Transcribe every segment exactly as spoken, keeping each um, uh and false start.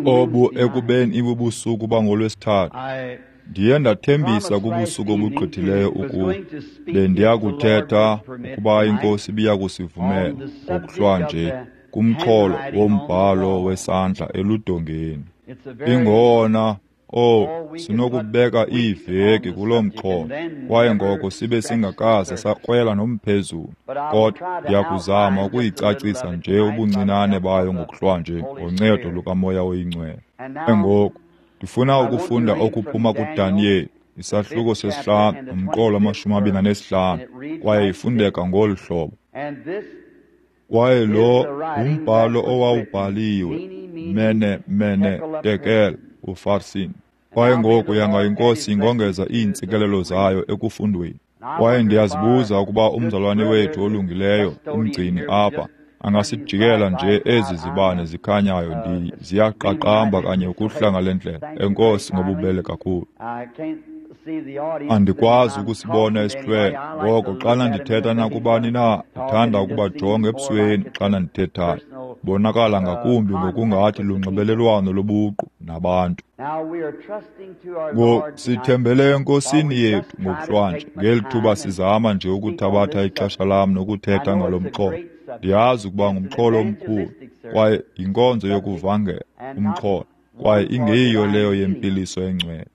Obu ekubeni ibubusuku bangolwesithathu, ndiye ndathembisa kubusuku obugqithileyo ukuba bendiyakuthetha ukuba iNkosi ibiyakusivumela ngokuhlwanje kumxholo wombhalo wesandla eludongeni. Ingona oh sinokubeka iiveki kuloo mxholo, kwaye ngoko sibe singakaze sakrwela nomphezulu, kodwa ndiyakuzama ukuyicacisa nje ubuncinane bayo ngokuhlwanje ngoncedo lukaMoya oyiNgcwele. Ngoku ndifuna ukufunda okuphuma kuDaniyeli, isahluko sesihlanu nomqolo wamashumi amabini anesihlanu, kwaye ifundeka ngolu hlobo. Kwaye lo ngumbhalo owawubhaliwe, Mene, Mene, Tekel, uFarsin. Kwaye ngoku yanga iNkosi ingongeza iintsikelelo zayo ekufundweni. Kwaye ndiyazibuza ukuba umzalwane wethu olungileyo, umgcini apha, angasijikela nje ezi zibane zikhanyayo ndi ziyaqaqamba kanye ukuhla ngale ndlela. Enkosi ngobubele kakhulu. Andikwazi ukusibona isihlwele, ngoko xana ndithetha nakubani na, ndithanda ukubajonga ebusweni xana ndithethayo. Bonakala ngakumbi ngokungathi lunxibelelwano lobuqu nabantu. Ngoku sithembele eNkosini yethu ngokuhlwanje ngeli thuba sizama nje ukuthabatha ixesha lam nokuthetha ngalo mxholo. Ndiyazi ukuba ngumxholo omkhulu kwaye yinkonzo yokuvangela umxholo, kwaye ingeyiyo leyo yempiliso engcwele,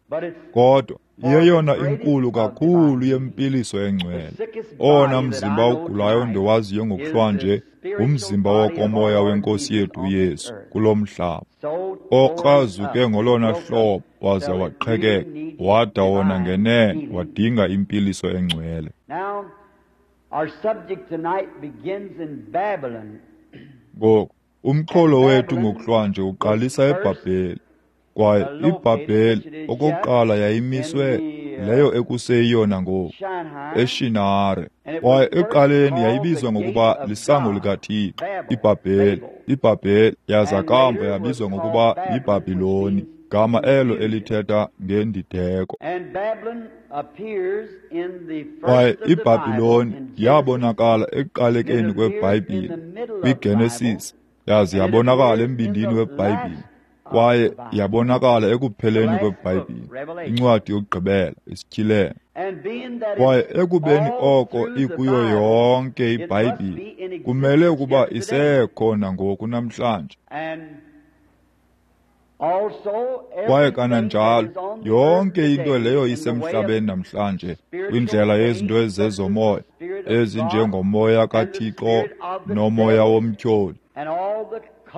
kodwa iyeyona inkulu kakhulu yempiliso engcwele. Owona mzimba ugulayo ndiwaziyo ngokuhlwanje ngumzimba wokomoya weNkosi yethu uYesu kulo mhlaba, okrazuke ngolona hlobo waze waqhekeka, wada wona ngenene wadinga impiliso engcwele. Ngoku umxholo wethu ngokuhlwanje uqalisa eBhabheli. Kwaye iBhabheli okokuqala yayimiswe leyo ekuseyiyona ngoku, eShinare. Kwaye ekuqaleni yayibizwa ngokuba lisango likaThixo, iBhabheli. IBhabheli yaza kamva yabizwa ngokuba yiBhabhiloni, gama elo elithetha ngendideko. Kwaye iBhabhiloni yabonakala ekuqalekeni kweBhayibhile kwiGenesis, yaze yabonakala embindini weBhayibhile, kwaye yabonakala ekupheleni kweBhayibhile, incwadi yokugqibela, iSityhilelo. Kwaye ekubeni oko ikuyo yonke iBhayibhile, kumele ukuba isekhona ngoku namhlanje. Kwaye kananjalo yonke into leyo isemhlabeni namhlanje kwindlela yezinto ezezomoya, ezinjengomoya kaThixo nomoya womtyholi,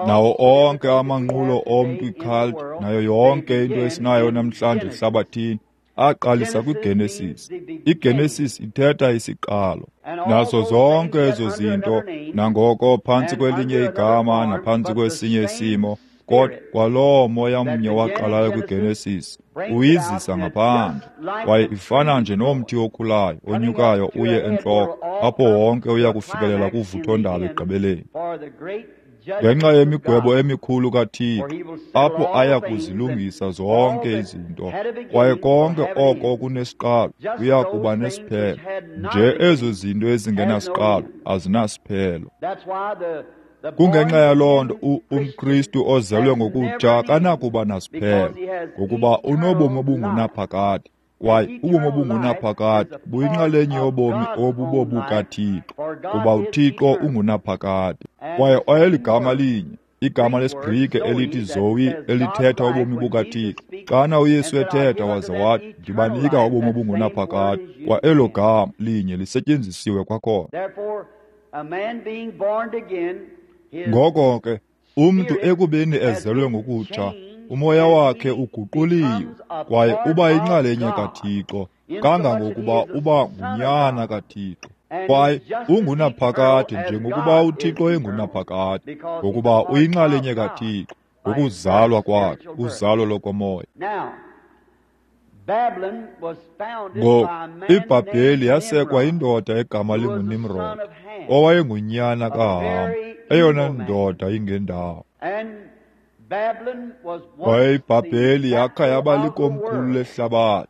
nawo onke amanqulo omntu, icult, nayo yonke into esinayo namhlanje ehlabathini, aqalisa kwiGenesis. IGenesis ithetha isiqalo. Nazo zonke ezo zinto, nangoko phantsi kwelinye igama naphantsi kwesinye isimo, kodwa kwaloo moya mnye waqalayo kwiGenesis uyizisa ngaphandle. Kwaye ifana nje nomthi okhulayo onyukayo uye entloko, apho wonke uya kufikelela kuvuthondaba ekugqibeleni. Ngenxa yemigwebo emikhulu kaThixo, apho aya kuzilungisa zonke izinto, kwaye konke oko kunesiqalo kuya kuba nesiphelo. Nje ezo zinto ezingenasiqalo azinasiphelo. Kungenxa yaloo nto umKristu ozelwe ngokutsha kanakuba nasiphelo, ngokuba unobomi obungunaphakade, kwaye ubomi obungunaphakade buyinxalenye yobomi obubobukaThixo, kuba uThixo ungunaphakade. Kwaye oyeligama linye, igama lesiGrike elithi Zoe, elithetha ubomi bukaThixo. Xana uYesu ethetha waze wathi, ndibanika ubomi obungunaphakade, kwa elo gama linye lisetyenzisiwe kwakhona. Ngoko ke, umntu ekubeni ezelwe ngokutsha, umoya wakhe uguquliwe, kwaye uba yinxalenye kaThixo, kangangokuba uba ngunyana kaThixo. Kwaye ungunaphakade njengokuba uThixo engunaphakade, ngokuba uyinxalenye kaThixo ngokuzalwa kwakhe, uzalo lokomoya. Ngoku iBhabheli yasekwa yindoda egama linguNimrod, owayengunyana kaHam, eyona ndoda ingendawo. Kwaye iBhabheli yakha yaba likomkhulu lehlabathi.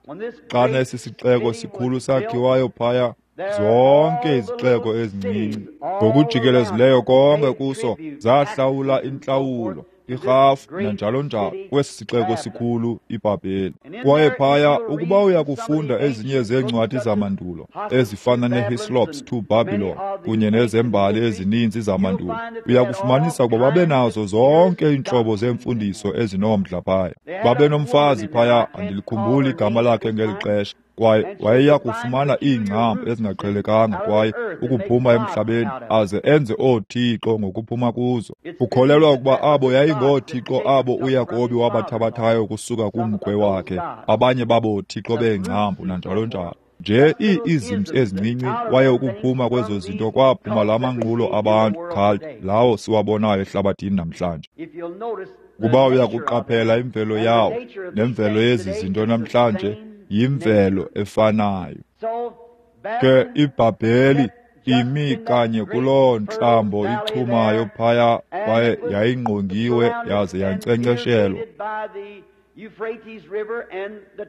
Xana esi sixeko sikhulu sakhiwayo phaya, zonke izixeko ezincinci ngokujikelezileyo konke kuso zahlawula intlawulo irhafu nanjalo njalo kwesi sixeko sikhulu iBhabheli. Kwaye phaya ukuba uya kufunda ezinye zeencwadi zamandulo ezifana neHislop's to Babylon kunye nezembali ezininzi zamandulo, uya kufumanisa ukuba babenazo zonke iintlobo zeemfundiso ezinomdla phaya. Babenomfazi phaya, andilikhumbuli igama lakhe ngeli xesha, kwaye wayeya kufumana iingcambu ezingaqhelekanga kwaye ukuphuma emhlabeni aze enze oothixo ngokuphuma kuzo. Ukholelwa ukuba abo yayingoothixo abo uYakobi wabathabathayo ukusuka kumkhwe wakhe, abanye babo thixo beengcambu nanjalo njalo. Nje ii-isms ezincinci, kwaye ukuphuma kwezo zinto kwaphuma la manqulo abantu cult lawo siwabonayo ehlabathini namhlanje. Kuba uya kuqaphela imvelo yawo nemvelo yezi zinto namhlanje yimvelo efanayo. Ke iBhabheli imi kanye kuloo ntlambo ichumayo phaya, kwaye yayingqongiwe yaze yankcenkceshelwa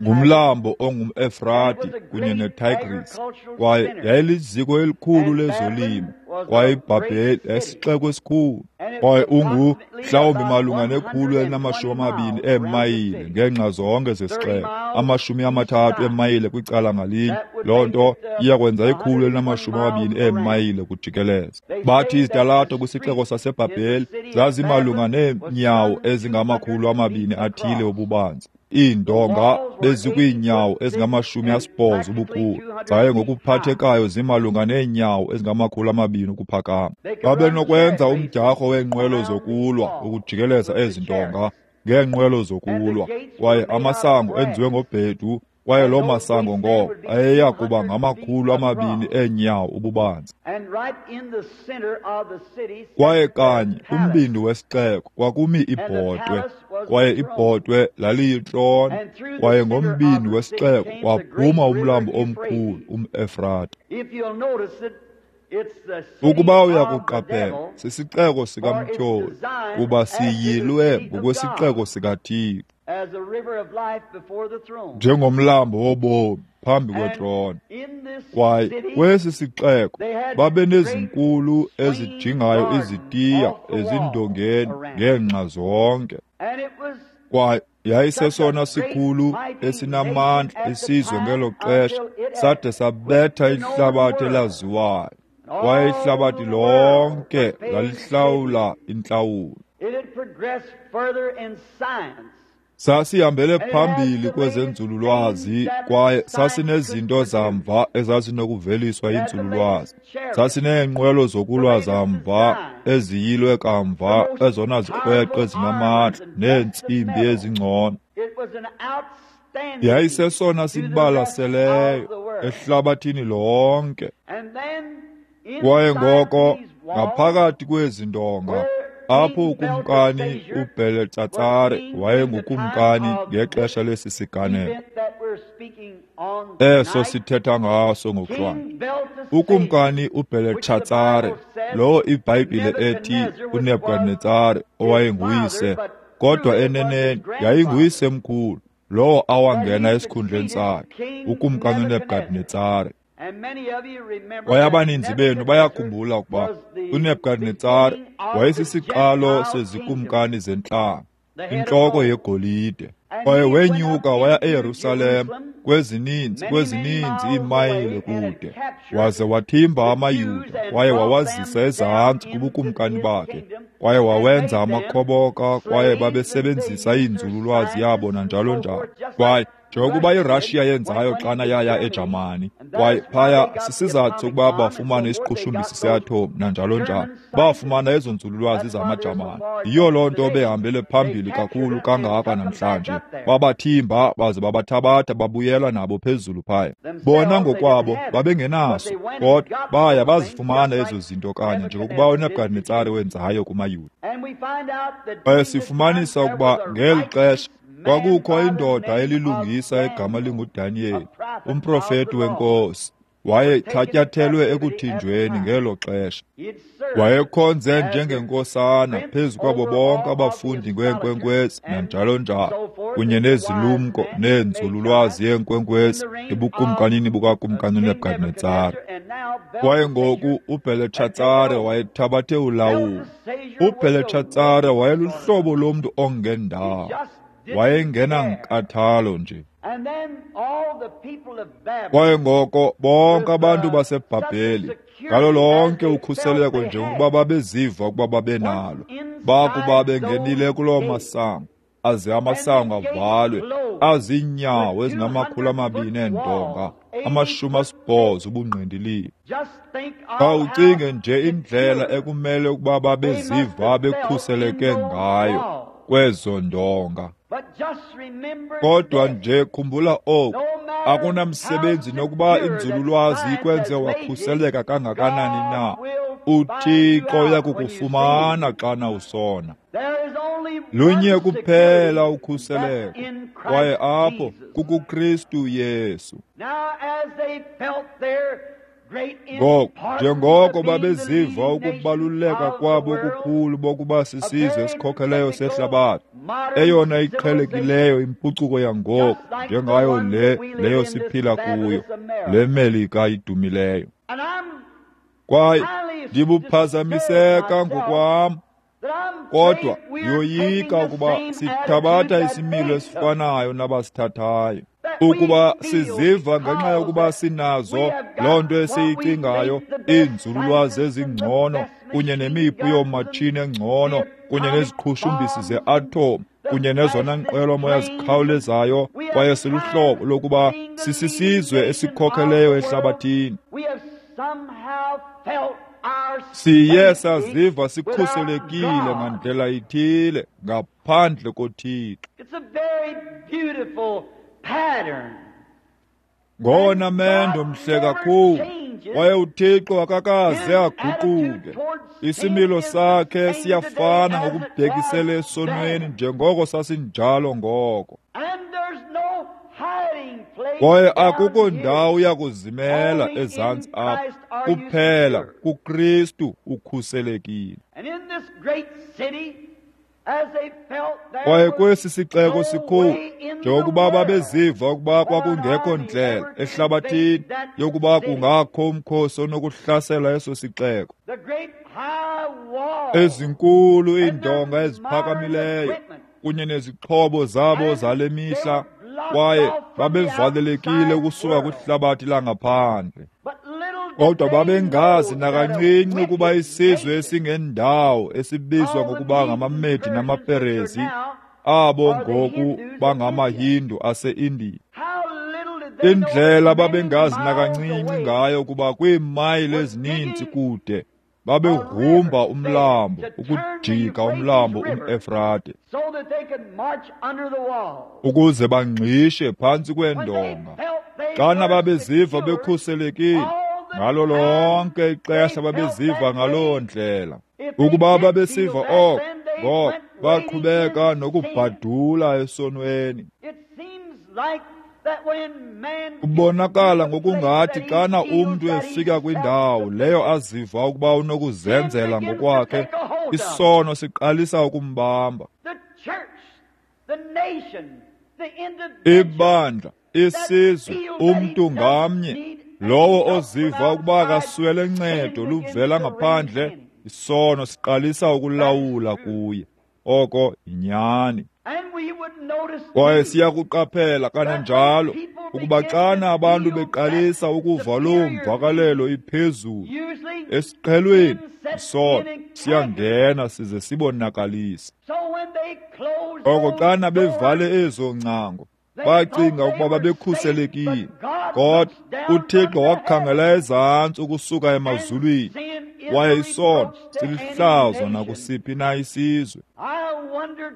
ngumlambo ongumEfrati kunye neTigris, kwaye yayiliziko elikhulu lezolimo, kwaye iBhabheli yayisixeko esikhulu, kwaye ungu mhlawumbi malunga nekhulu elinamashumi amabini eemayile ngeenxa zonke zesixeko, amashumi amathathu eemayile kwicala ngalinye. Loo nto iya kwenza ikhulu elinamashumi amabini eemayile kujikeleza. Bathi izitalato kwisixeko saseBhabheli zazimalunga neenyawo ezingamakhulu amabini athile ububanzi. Iindonga bezikwiinyawo ezingamashumi asibhozo ubukhulu, zaye ngokuphathekayo zimalunga neenyawo ezingamakhulu amabini ukuphakama. Babenokwenza umdyarho weenqwelo zokulwa ukujikeleza ezi ndonga ngeenqwelo zokulwa, kwaye amasango enziwe ngobhedu, kwaye loo masango ngoko ayeya kuba ngamakhulu amabini eenyawo ububanzi. Kwaye kanye kumbindi wesixeko kwakumi ibhotwe, kwaye ibhotwe laliyitrone, kwaye ngombindi wesixeko kwaphuma umlambo omkhulu umEfrata. Ukuba uyakuqaphela, sisixeko sikamtyholi, kuba siyilwe ngokwesixeko sikaThixo, njengomlambo wobomi phambi kwetrone. Kwaye kwesi sixeko babenezinkulu ezijingayo izitiya ezindongeni ngeenxa zonke, kwaye yayisesona sikhulu esinamandla isizwe ngelo xesha, sade sabetha ihlabathi elaziwayo, kwaye ihlabathi lonke lalihlawula intlawulo. Sasihambele phambili kwezenzululwazi, kwaye sasinezinto zamva ezazinokuveliswa yinzululwazi. Sasineenqwelo zokulwa zamva eziyilwe kamva, ezona zikrweqe ezinamandla neentsimbi ezingcono. Yayisesona sibalaseleyo ehlabathini lonke. Kwaye ngoko ngaphakathi kwezi ndonga, apho ukumkani uBheletshatsare wayengukumkani ngexesha lesi siganeko eso sithetha ngaso ngokuhlwanje. Ukumkani uBheletshatsare, lowo iBhayibhile ethi uNebukadnetsare owayenguyise, kodwa eneneni yayinguyisemkhulu lowo awangena esikhundleni sakhe, ukumkani uNebukadnetsare. Kwaye abaninzi benu bayakhumbula ukuba uNebukadnetsare wayesisiqalo sezikumkani zentlanga, intloko yegolide. Kwaye wenyuka waya eYerusalem kwezininzi kwezininzi iimayile kude, waze wathimba amaYuda kwaye wawazisa ezantsi kubukumkani bakhe, kwaye wawenza amakhoboka, kwaye babesebenzisa inzululwazi yabo nanjalo njalo. Kwaye njengokuba iRussia yenzayo xana yaya eJamani, kwaye phaya sisizathu sokuba bafumane isiqhushumbisi seathom nanjalo njalo, bafumana ezo nzululwazi zamaJamani. Yiyo loo nto behambele phambili kakhulu kangaka namhlanje. Babathimba baze babathabatha babuyela nabo phezulu phaya. Bona ngokwabo babengenaso, kodwa baya bazifumana ezo zinto kanye njengokuba uNebukadnetsare wenzayo kumaYuda. Kwaye sifumanisa ukuba ngeli xesha kwakukho indoda elilungisa egama linguDaniyeli, umprofeti wenkosi. Wayethatyathelwe ekuthinjweni ngelo xesha. Wayekhonze njengenkosana phezu kwabo bonke abafundi ngeenkwenkwezi nanjalo njalo, kunye nezilumko neenzululwazi yeenkwenkwezi ebukumkanini bukakumkani uNebukadnetsare. Kwaye ngoku uBheletshatsare wayethabathe ulawulo. UBheletshatsare wayeluhlobo lomntu ongendawo. Wayengenankathalo nje. Kwaye ngoko bonke abantu baseBhabheli ngalo lonke ukhuseleko njengokuba babeziva ukuba babenalo, bakuba bengenile kuloo masango, aze amasango avalwe, aziinyawo ezingamakhulu amabini eendonga, amashumi asibhozo ubungqindilili. Khawucinge nje indlela ekumele ukuba babeziva bekhuseleke ngayo kwezo ndonga. Kodwa nje khumbula oku, akunamsebenzi nokuba inzululwazi ikwenze wakhuseleka kangakanani na, uThixo uyakukufumana xana usona. Lunye kuphela ukhuseleko, kwaye apho kukuKristu Yesu. Ngoku, njengoko babeziva ukubaluleka kwabo okukhulu bokuba sisizwe esikhokheleyo sehlabathi, eyona iqhelekileyo impucuko yangoku njengayo le leyo siphila kuyo, le Melika idumileyo. Kwaye ndibuphazamiseka ngokwam, kodwa ndiyoyika ukuba sithabatha isimilo esifanayo nabasithathayo. Ukuba siziva ngenxa yokuba sinazo loo nto esiyicingayo, iinzululwazi ezingcono kunye nemipu yoomatshini engcono kunye neziqhushumbisi ze-atom kunye nezona nqwelomoya zikhawulezayo, kwaye siluhlobo lokuba sisisizwe esikhokheleyo ehlabathini. Siye saziva sikhuselekile ngandlela ithile ngaphandle koThixo. Ngowona mendo mhle kakhulu, kwaye uThixo akakaze aguquke. Isimilo sakhe siyafana ngokubhekisele esonweni njengoko sasinjalo ngoko. Kwaye akukho ndawo yakuzimela ezantsi apha, kuphela kuKristu ukhuselekile. Kwaye kwesi sixeko sikhulu, njengokuba babeziva ukuba kwakungekho ndlela ehlabathini yokuba kungakho umkhosi onokuhlasela eso sixeko, ezinkulu iindonga eziphakamileyo kunye nezixhobo zabo zale mihla, kwaye babevalelekile ukusuka kwihlabathi langaphandle. Kodwa babengazi nakancinci ukuba isizwe esingendawo esibizwa ngokuba ngamaMedi namaPerezi, abo ngoku bangamaHindu ase-Indiya. Indlela babengazi nakancinci ngayo ukuba kwiimayile ezininzi kude babegrumba umlambo ukujika umlambo umEfrate ukuze bangqishe phantsi kweendonga. Xana babeziva bekhuselekile, ngalo lonke ixesha babeziva ngaloo ndlela. Ukuba babesiva oko, ngoko baqhubeka nokubhadula esonweni. Kubonakala ngokungathi xana umntu efika kwindawo leyo aziva ukuba unokuzenzela ngokwakhe, isono siqalisa ukumbamba. Ibandla, isizwe, umntu ngamnye, lowo oziva ukuba akaswele ncedo luvela ngaphandle, isono siqalisa ukulawula kuye. Oko yinyani. Kwaye siyakuqaphela kananjalo ukuba xana abantu beqalisa ukuva loo mvakalelo iphezulu esiqhelweni, isono siyangena size sibonakalise. Oko xana bevale ezo ngcango, bacinga ukuba babekhuselekile, kodwa uThixo wakhangela ezantsi ukusuka emazulwini, kwaye isono silihlazo nakusiphi na isizwe.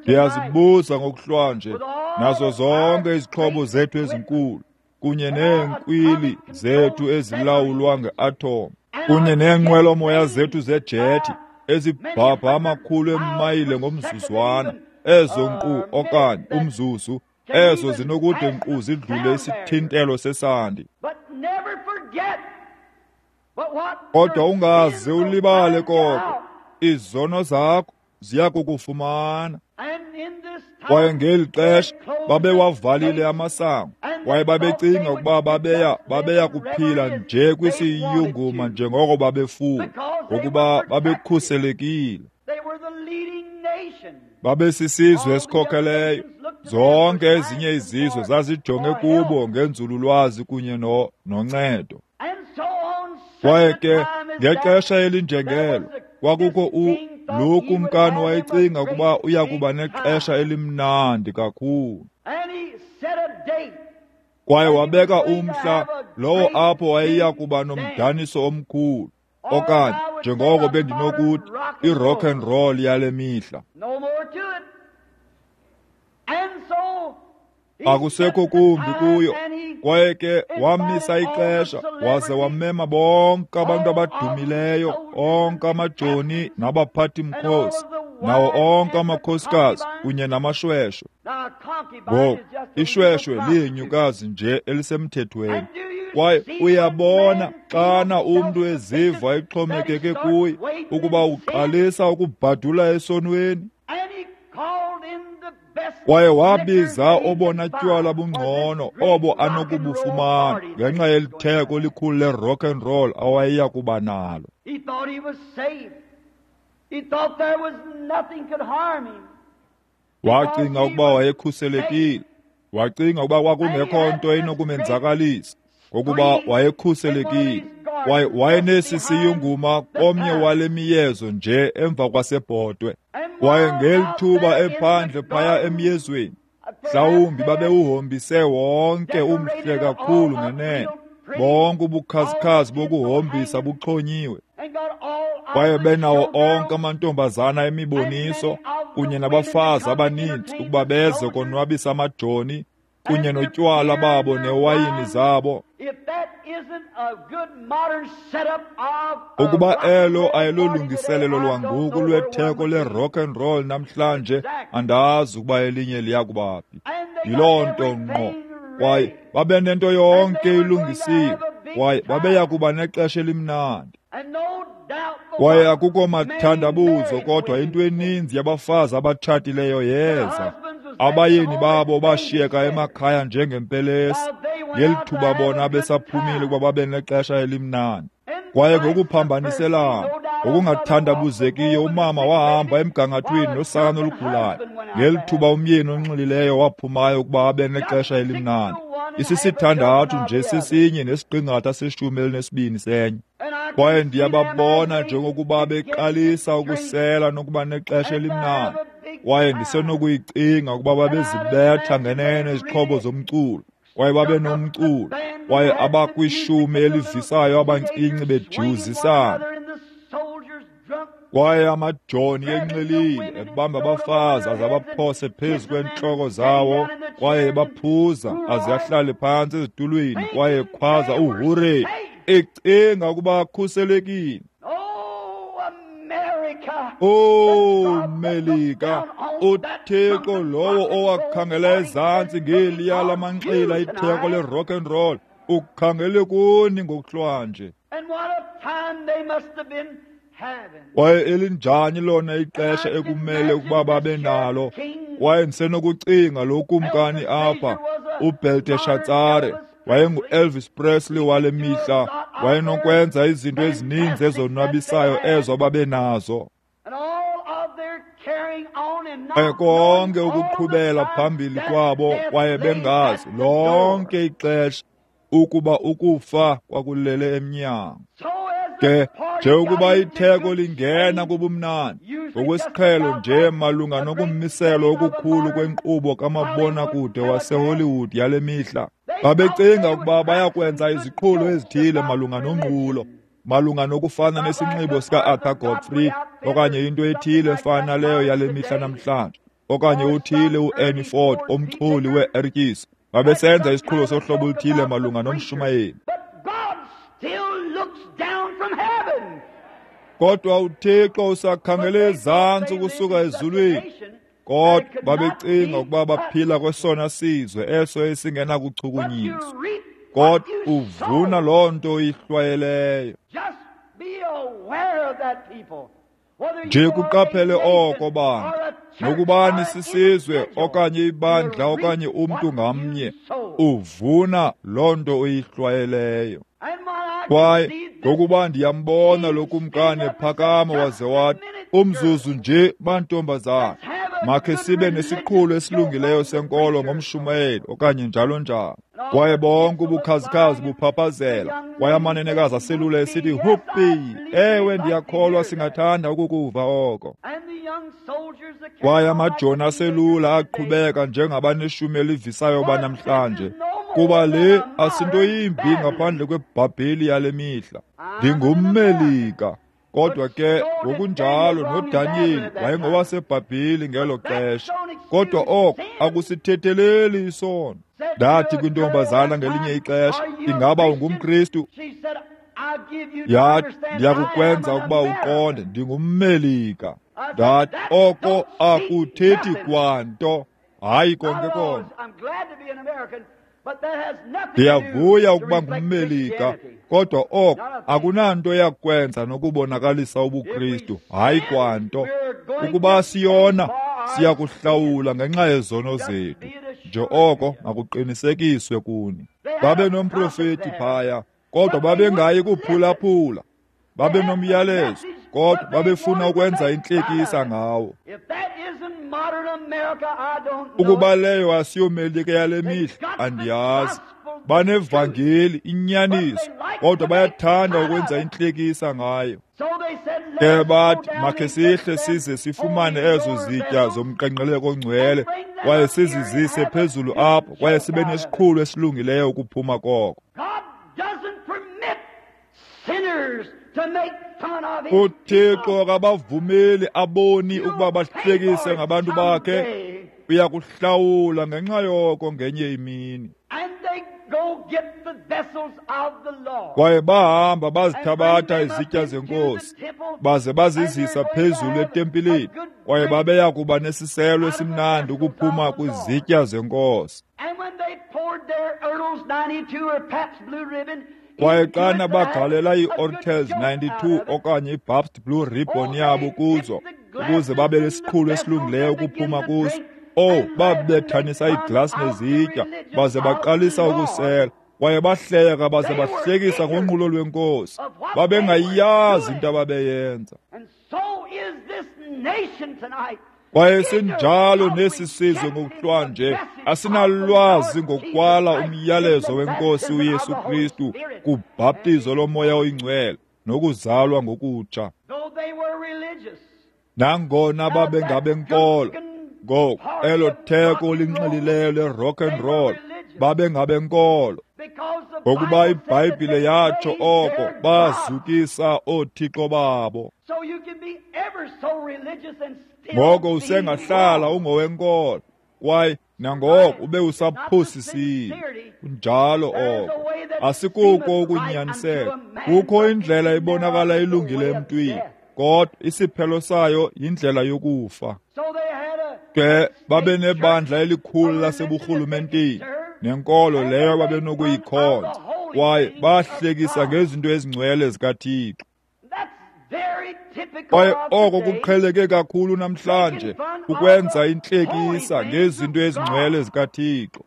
Ndiyazibuza ngokuhlwanje, nazo zonke izixhobo zethu ezinkulu kunye neenkwili zethu ezilawulwa ngeatom kunye neenqwelomoya zethu zejethi ezibhabha amakhulu emayile ngomzuzwana, ezo nkqu okanye umzuzu, ezo zinokude nkqu zidlule isithintelo sesandi. Kodwa ungaze ulibale koko, izono zakho ziya kukufumana. Kwaye ngeli xesha babewavalile amasango, Kwaye babecinga ukuba babeya babeya kuphila nje kwisiyunguma njengoko babefuna, ngokuba babekhuselekile. Babesisizwe esikhokeleyo. Zonke ezinye izizwe zazijonge kubo ngenzululwazi kunye no noncedo. Kwaye ke ngexesha elinjengelo kwakukho u lo kumkani wayecinga ukuba uya kuba nexesha elimnandi kakhulu. Kwaye wabeka umhla lowo apho wayeya kuba nomdaniso omkhulu, okanye njengoko bendinokuthi i-rock and roll yale mihla. Akusekho kumbi kuyo. Kwaye ke wamisa ixesha waze wamema bonke abantu abadumileyo, onke amajoni nabaphathi-mkhosi, nawo onke amakhosikazi kunye namashweshwe. Ngoku ishweshwe liyinyukazi nje elisemthethweni. Kwaye uyabona xana umntu eziva exhomekeke kuye ukuba uqalisa ukubhadula esonweni. Kwaye wabiza obona tywala bungcono obo anokubufumana ngenxa yelitheko elikhulu le-rock and roll awayeya kuba nalo. Wacinga ukuba wayekhuselekile. Wacinga ukuba kwakungekho nto inokumenzakalisa, ngokuba wayekhuselekile. Kwaye wayenesi siyunguma komnye wale miyezo nje emva kwasebhotwe. Kwaye ngeli thuba ephandle phaya emyezweni, mhlawumbi babewuhombise wonke umhle kakhulu ngenene, bonke ubukhazikhazi bokuhombisa buxhonyiwe. Kwaye benawo onke amantombazana emiboniso kunye nabafazi abaninzi ukuba beze konwabisa amajoni kunye notywala babo newayini zabo. Ukuba elo ayilolungiselelo lwangoku lwetheko le-rock and roll namhlanje, andazi ukuba elinye liya kubaphi. Yiloo nto ngqo. Kwaye babe nento yonke ilungisiwe, kwaye babeya kuba nexesha elimnandi. Kwaye akukho mathandabuzo, kodwa into eninzi yabafazi abatshatileyo yeza. Abayeni babo bashiyeka emakhaya njengempelesi, ngeli thuba bona besaphumile ukuba babe nexesha elimnandi. Kwaye ngokuphambaniselana, ngokungathandabuzekiyo, umama wahamba emgangathweni nosana olugulayo, ngeli thuba umyeni onxilileyo waphumayo ukuba abe nexesha elimnandi. Isisithandathu nje sesinye nesiqingatha seshumi elinesibini senye. Kwaye ndiyababona njengokuba beqalisa ukusela nokuba nexesha elimnandi. Kwaye ndisenokuyicinga ukuba babezibetha ngenene izixhobo zomculo, kwaye babe nomculo, kwaye abakwishumi elivisayo abancinci bejiwuzisana. Kwaye amajoni enxilile ebamba abafazi aze abaphose phezu kweentloko zawo, kwaye ebaphuza aze ahlale phantsi ezitulweni, kwaye ekhwaza uhure, ecinga ukuba akhuselekile. Oh Melika, uThixo lowo owakhangela ezantsi ngeliya lamanxila itheko le-rock and roll ukhangele kuni ngokuhlwanje. Kwaye elinjani lona ixesha ekumele ukuba babe nalo. Kwaye ndisenokucinga lo kumkani apha, uBelteshatsare, wayengu-Elvis Presley wale mihla, wayenokwenza izinto ezininzi ezonwabisayo ezo babe nazo. Kwaye konke ukuqhubela phambili kwabo, kwaye bengazi lonke ixesha ukuba ukufa kwakulele emnyango. Ke njengokuba itheko lingena kubumnandi, ngokwesiqhelo nje malunga nokummiselo okukhulu kwenkqubo kamabonakude waseHollywood yale mihla, babecinga ukuba bayakwenza iziqhulo ezithile malunga nonqulo, malunga nokufana nesinxibo sika-Arthur Godfrey okanye into ethile efana naleyo yale mihla namhlanje, okanye uthile u-Ernie Ford omchuli wee-ertyisi. Babesenza isiqhulo sohlobo oluthile malunga nomshumayeli. Kodwa uThixo usakhangele ezantsi ukusuka ezulwini. Kodwa babecinga ukuba baphila kwesona sizwe eso esingenakuchukunyiswa. Kodwa uvuna loo nto ihlwayeleyo. Nje kuqaphele oko bantu, nokubani sisizwe okanye ibandla okanye umntu ngamnye, uvuna loo nto uyihlwayeleyo. Kwaye ngokuba ndiyambona lo kumkani ephakama waze wathi, umzuzu nje bantombazana, makhe sibe nesiqhulo esilungileyo senkolo ngomshumayeli okanye njalo njalo. Kwaye bonke ubukhazikhazi buphaphazela, kwaye amanenekazi aselula esithi, huppi, ewe ndiyakholwa singathanda ukukuva oko. Kwaye amajoni aselula aqhubeka njengabaneshumi elivisayo banamhlanje, kuba le asinto yimbi ngaphandle kweBhabheli yale mihla. Ndingummelika. Kodwa ke ngokunjalo noDaniyeli wayengowaseBhabheli ngelo xesha. Kodwa oko akusithetheleli isono. Ndathi kwintombazana ngelinye ixesha, ingaba ungumKristu? Yathi, ndiyakukwenza ukuba uqonde, ndingummelika. Ndathi, oko akuthethi kwanto. Hayi konke konke. Ndiyavuya ukuba ngummelika, kodwa oko akunanto yakwenza nokubonakalisa ubuKristu, hayi kwanto. Ukuba siyona, siyakuhlawula ngenxa yezono zethu. Nje oko makuqinisekiswe kuni. Babe nomprofeti phaya, kodwa babengayi kuphulaphula. Babe nomyalezo, kodwa babefuna ukwenza intlekisa ngawo. Ukuba leyo asiyomelika yale mihla, andiyazi. Banevangeli, inyaniso, kodwa bayathanda ukwenza intlekisa ngayo. Ke bathi, makhe sihle size sifumane ezo zitya zomqenqeleko ongcwele, kwaye sizizise phezulu apho, kwaye sibe nesiqhulo esilungileyo ukuphuma koko. UThixo akabavumeli aboni ukuba bahlekise ngabantu bakhe. Uyakuhlawula ngenxa yoko ngenye imini. Kwaye bahamba bazithabatha izitya zenkosi, baze bazizisa phezulu etempileni, kwaye babeya kuba nesiselo esimnandi ukuphuma kwizitya zenkosi. Kwaye xana bagalela i-Ortels ninety-two okanye i-Pabst Blue Ribbon yabo kuzo, ukuze babe nesiqhulo esilungileyo ukuphuma kuso, oh, babethanisa iiglasi nezitya, baze baqalisa ukusela. Kwaye bahleka baze bahlekisa ngonqulo lwenkosi. Babengayazi into ababeyenza. Kwaye sinjalo nesi sizwe ngokuhlwanje, asinalwazi ngokwala umyalezo wenkosi uYesu Kristu kubhaptizo lomoya oyingcwele nokuzalwa ngokutsha. Nangona babengabenkolo, ngoku elo theko linxilileyo le-rock and roll, babengabenkolo. Ngokuba iBhayibhile yatsho oko, bazukisa oothixo babo. Ngoko usengahlala ungowenkolo, kwaye nangoko ube usaphosisile. Kunjalo oko. Asikuko ukunyaniseka. Kukho indlela ebonakala ilungile emntwini, kodwa isiphelo sayo yindlela yokufa. Ke babe nebandla elikhulu laseburhulumenteni, nenkolo leyo babenokuyikhonza, kwaye bahlekisa ngezinto ezingcwele zikaThixo. Kwaye oko kuqheleke kakhulu namhlanje, ukwenza intlekisa ngezinto ezingcwele zikaThixo.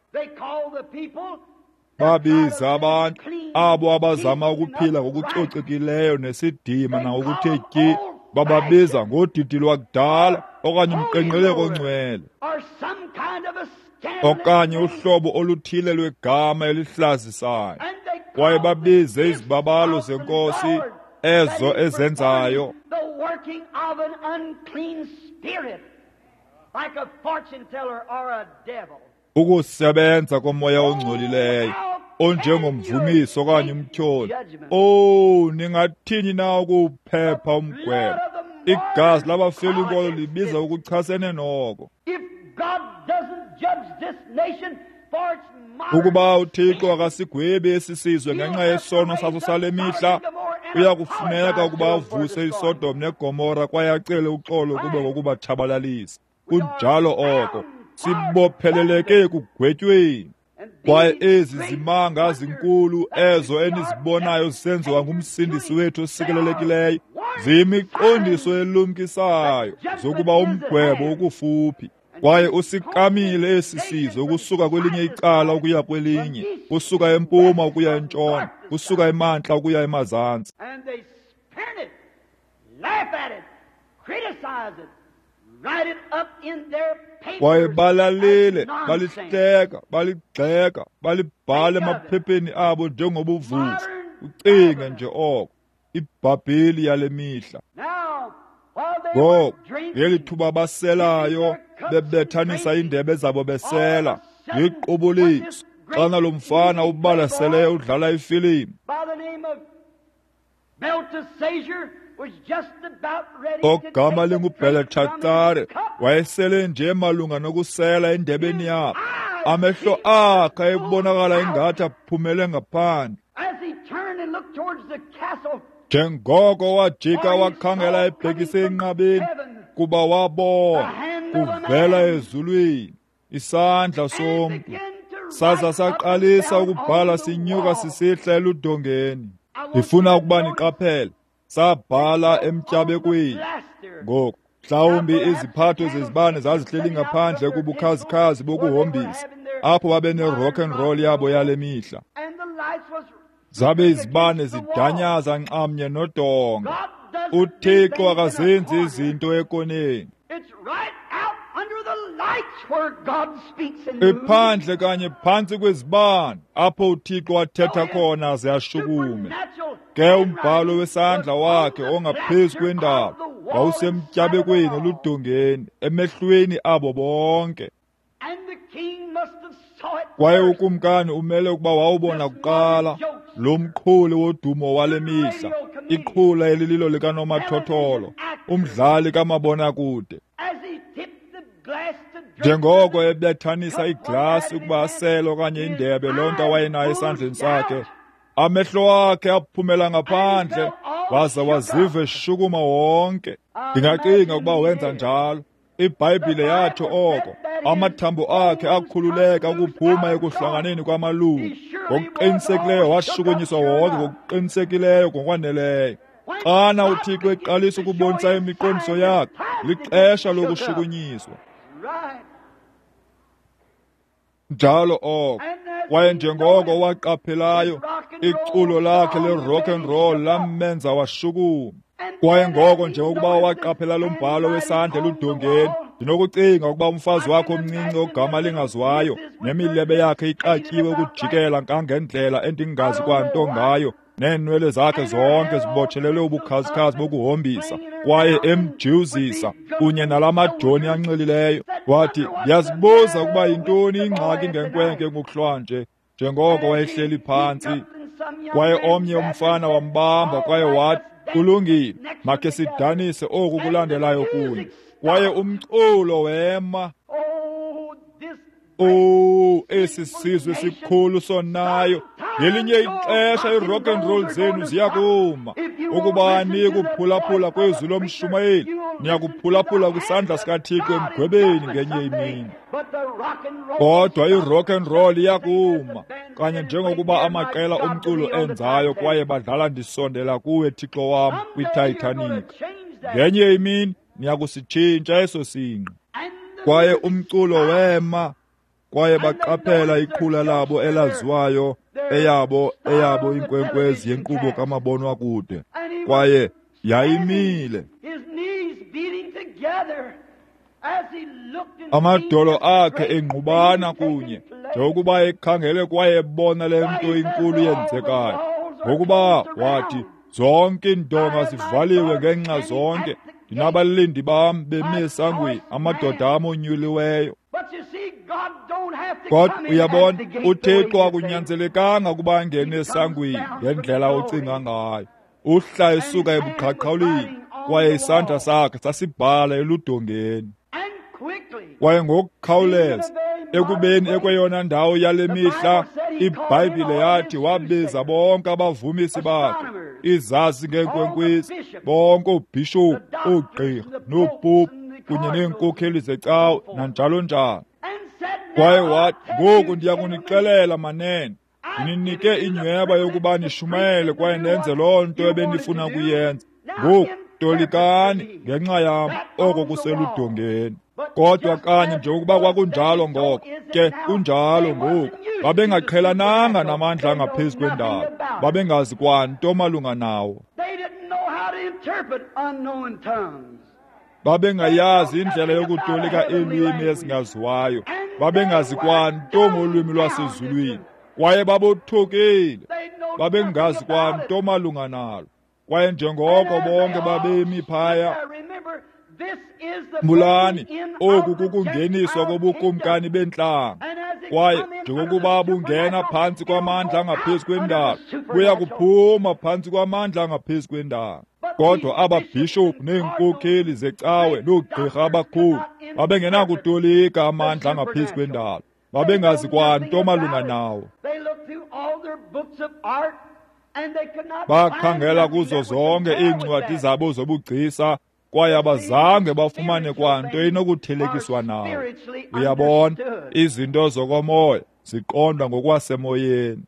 Babiza abantu abo abazama ukuphila ngokucocekileyo nesidima nangokuthe tyi, bababiza ngodidi lwakudala okanye umqenqeleko ongcwele, okanye uhlobo oluthile lwegama elihlazisayo. Kwaye babize izibabalo zenkosi ezo ezenzayo ukusebenza komoya ongcolileyo onjengomvumiso okanye umtyholi. Oh, ningathini na ukuphepha umgwebo? Igazi labafela inkolo libiza ukuchasene noko. Ukuba uThixo akasigwebi esi sizwe ngenxa yesono saso sale mihla, uyakufuneka ukuba avuse iSodom neGomora kwaye acele uxolo kube ngokubatshabalalisa. Kunjalo oko. Sibopheleleke ekugwetyweni. Kwaye ezi zimanga zinkulu ezo enizibonayo zisenziwa ngumsindisi wethu osikelelekileyo, Ziyimiqondiso elumkisayo zokuba umgwebo ukufuphi. Kwaye usikamile esi sizwe ukusuka kwelinye icala ukuya kwelinye, kusuka empuma ukuya entshona, kusuka emantla ukuya emazantsi. Kwaye balalile, balihleka, baligxeka, balibhala emaphepheni abo njengobuvuvu. Ucinge nje oko, iBhabheli yale mihla. Ngoku, ngeli thuba baselayo, bebethanisa iindebe zabo besela, yiqubuliso xana lo mfana ubalaseleyo udlala ifilimu ogama linguBheletshatsare wayesele nje malunga nokusela endebeni yakhe. Amehlo akhe ayebonakala ingathi aphumele ngaphandle. Njengoko wajika wakhangela ebhekise enqabeni, kuba wabona kuvela ezulwini isandla somntu, saza saqalisa ukubhala sinyuka sisihla eludongeni. Ndifuna ukuba niqaphele, sabhala emtyabekweni. Ngoku mhlawumbi iziphatho zezibane zazihleli ngaphandle kubukhazikhazi bokuhombisa, apho babe ne-rock and roll yabo yale mihla. Zabe izibane zidanyaza nxamnye nodonga. UThixo akazenzi izinto ekoneni. Iphandle kanye phantsi kwezibane apho uThixo athetha khona aze ashukume. Ke umbhalo wesandla wakhe ongaphezu kwendaba wawusemtyabekweni oludongeni emehlweni abo bonke. Kwaye ukumkani umele ukuba wawubona kuqala lo mqhuli wodumo wale mihla, iqhula elililo likanomathotholo, umdlali kamabonakude. Njengoko ebethanisa iglasi ukuba asele okanye indebe loo nto awayenayo esandleni sakhe, amehlo akhe aphumela ngaphandle waza waziva eshukuma wonke. Ndingacinga ukuba wenza njalo. IBhayibhile yatsho oko. Amathambo akhe akhululeka ukuphuma ekuhlanganeni kwamalungu. Ngokuqinisekileyo washukunyiswa wonke, ngokuqinisekileyo ngokwaneleyo. Xana uThixo eqalisa ukubonisa imiqondiso yakhe, lixesha lokushukunyiswa. Njalo oko. Kwaye njengoko waqaphelayo, iculo lakhe le-rock and roll lamenza washukuma. Kwaye ngoko njengokuba waqaphela lo mbhalo wesandla eludongeni, ndinokucinga ukuba umfazi wakhe omncinci ogama lingaziwayo nemilebe yakhe iqatyiwe ukujikela ngangendlela endingazi kwanto ngayo, neenwele zakhe zonke zibotshelelwe ubukhazikhazi bokuhombisa, kwaye emjiwuzisa kunye nala majoni anxilileyo. Wathi, ndiyazibuza ukuba yintoni ingxaki ngenkwenkwe ngokuhlwanje, njengoko wayehleli phantsi. Kwaye omnye umfana wambamba kwaye wathi, kulungile, makhe sidanise oku kulandelayo kunye. Kwaye umculo wema. Oh, esi sizwe sikhulu sonayo. Ngelinye ixesha i-rock and roll zenu ziyakuma. Ukuba anikuphulaphula kwezwi lomshumayeli, niyakuphulaphula kwisandla sikaThixo emgwebeni ngenye imini. Kodwa i-rock and roll iyakuma, kanye njengokuba amaqela omculo enzayo kwaye badlala ndisondela kuwe Thixo wam kwiTitanic. Ngenye imini niyakusitshintsha eso singqi. Kwaye umculo wema, kwaye baqaphela iqhula labo elaziwayo, eyabo eyabo inkwenkwezi yenkqubo kamabonwakude, kwaye yayimile. Amadolo akhe engqubana kunye njengokuba ekhangele kwaye ebona le nto inkulu yenzekayo. Ngokuba wathi, zonke iindonga zivaliwe ngenxa zonke, ndinabalindi bam bemi esangweni, amadoda am onyuliweyo. Kodwa uyabona, uThixo akunyanzelekanga ukuba angene esangweni ngendlela ocinga ngayo. Uhla esuka ebuqhaqhawulini, kwaye isandla sakhe sasibhala eludongeni. Kwaye ngokukhawuleza, ekubeni ekweyona ndawo yale mihla, iBhayibhile yathi wabiza bonke abavumisi bakhe, izazi ngeenkwenkwezi, bonke oobhishophu, oogqirha, noopopu, kunye neenkokheli zecawe, nanjalo njalo. Kwaye wathi, ngoku ndiya kunixelela manene, ndininike inyweba yokuba nishumayele kwaye nenze loo nto ebenifuna kuyenza. Ngoku Tolikani ngenxa yam oko kuseludongeni. Kodwa kanye njengokuba kwakunjalo ngoko, ke kunjalo ngoku. Babengaqhelananga namandla angaphezu kwendalo, babengazi kwanto malunga nawo. Babengayazi indlela yokutolika iilwimi ezingaziwayo, babengazi kwanto ngolwimi lwasezulwini, kwaye babothukile, babengazi kwanto malunga nalo. Kwaye njengoko bonke babemi phaya, khumbulani, oku kukungeniswa kobukumkani bentlanga. Kwaye njengokuba bungena phantsi kwamandla angaphezu kwendalo, buya kuphuma phantsi kwamandla angaphezu kwendalo. Kodwa ababhishophu neenkokheli zecawe noogqirha abakhulu babengenakutolika amandla angaphezu kwendalo, babengazi kwanto malunga nawo. Bakhangela kuzo zonke iincwadi zabo zobugcisa, kwaye abazange bafumane kwanto inokuthelekiswa nawo. Uyabona, izinto zokomoya ziqondwa ngokwasemoyeni.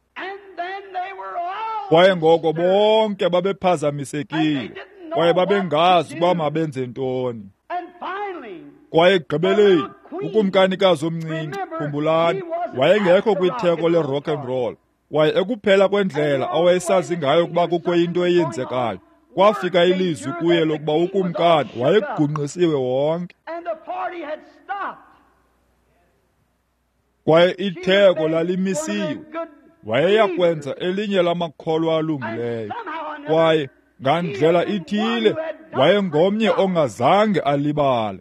Kwaye ngoko bonke babephazamisekile, kwaye babengazi uba mabenze ntoni. Kwaye ekugqibeleni ukumkanikazi omncinci, khumbulani, wayengekho kwitheko le-rock and roll, kwaye ekuphela kwendlela awayesazi ngayo ukuba kukho into eyenzekayo, kwafika ilizwi kuye lokuba ukumkani wayegungqisiwe wonke. Kwaye itheko lalimisiwe. Wayeya kwenza elinye lamakholwa alungileyo. Kwaye ngandlela ithile wayengomnye ongazange alibale.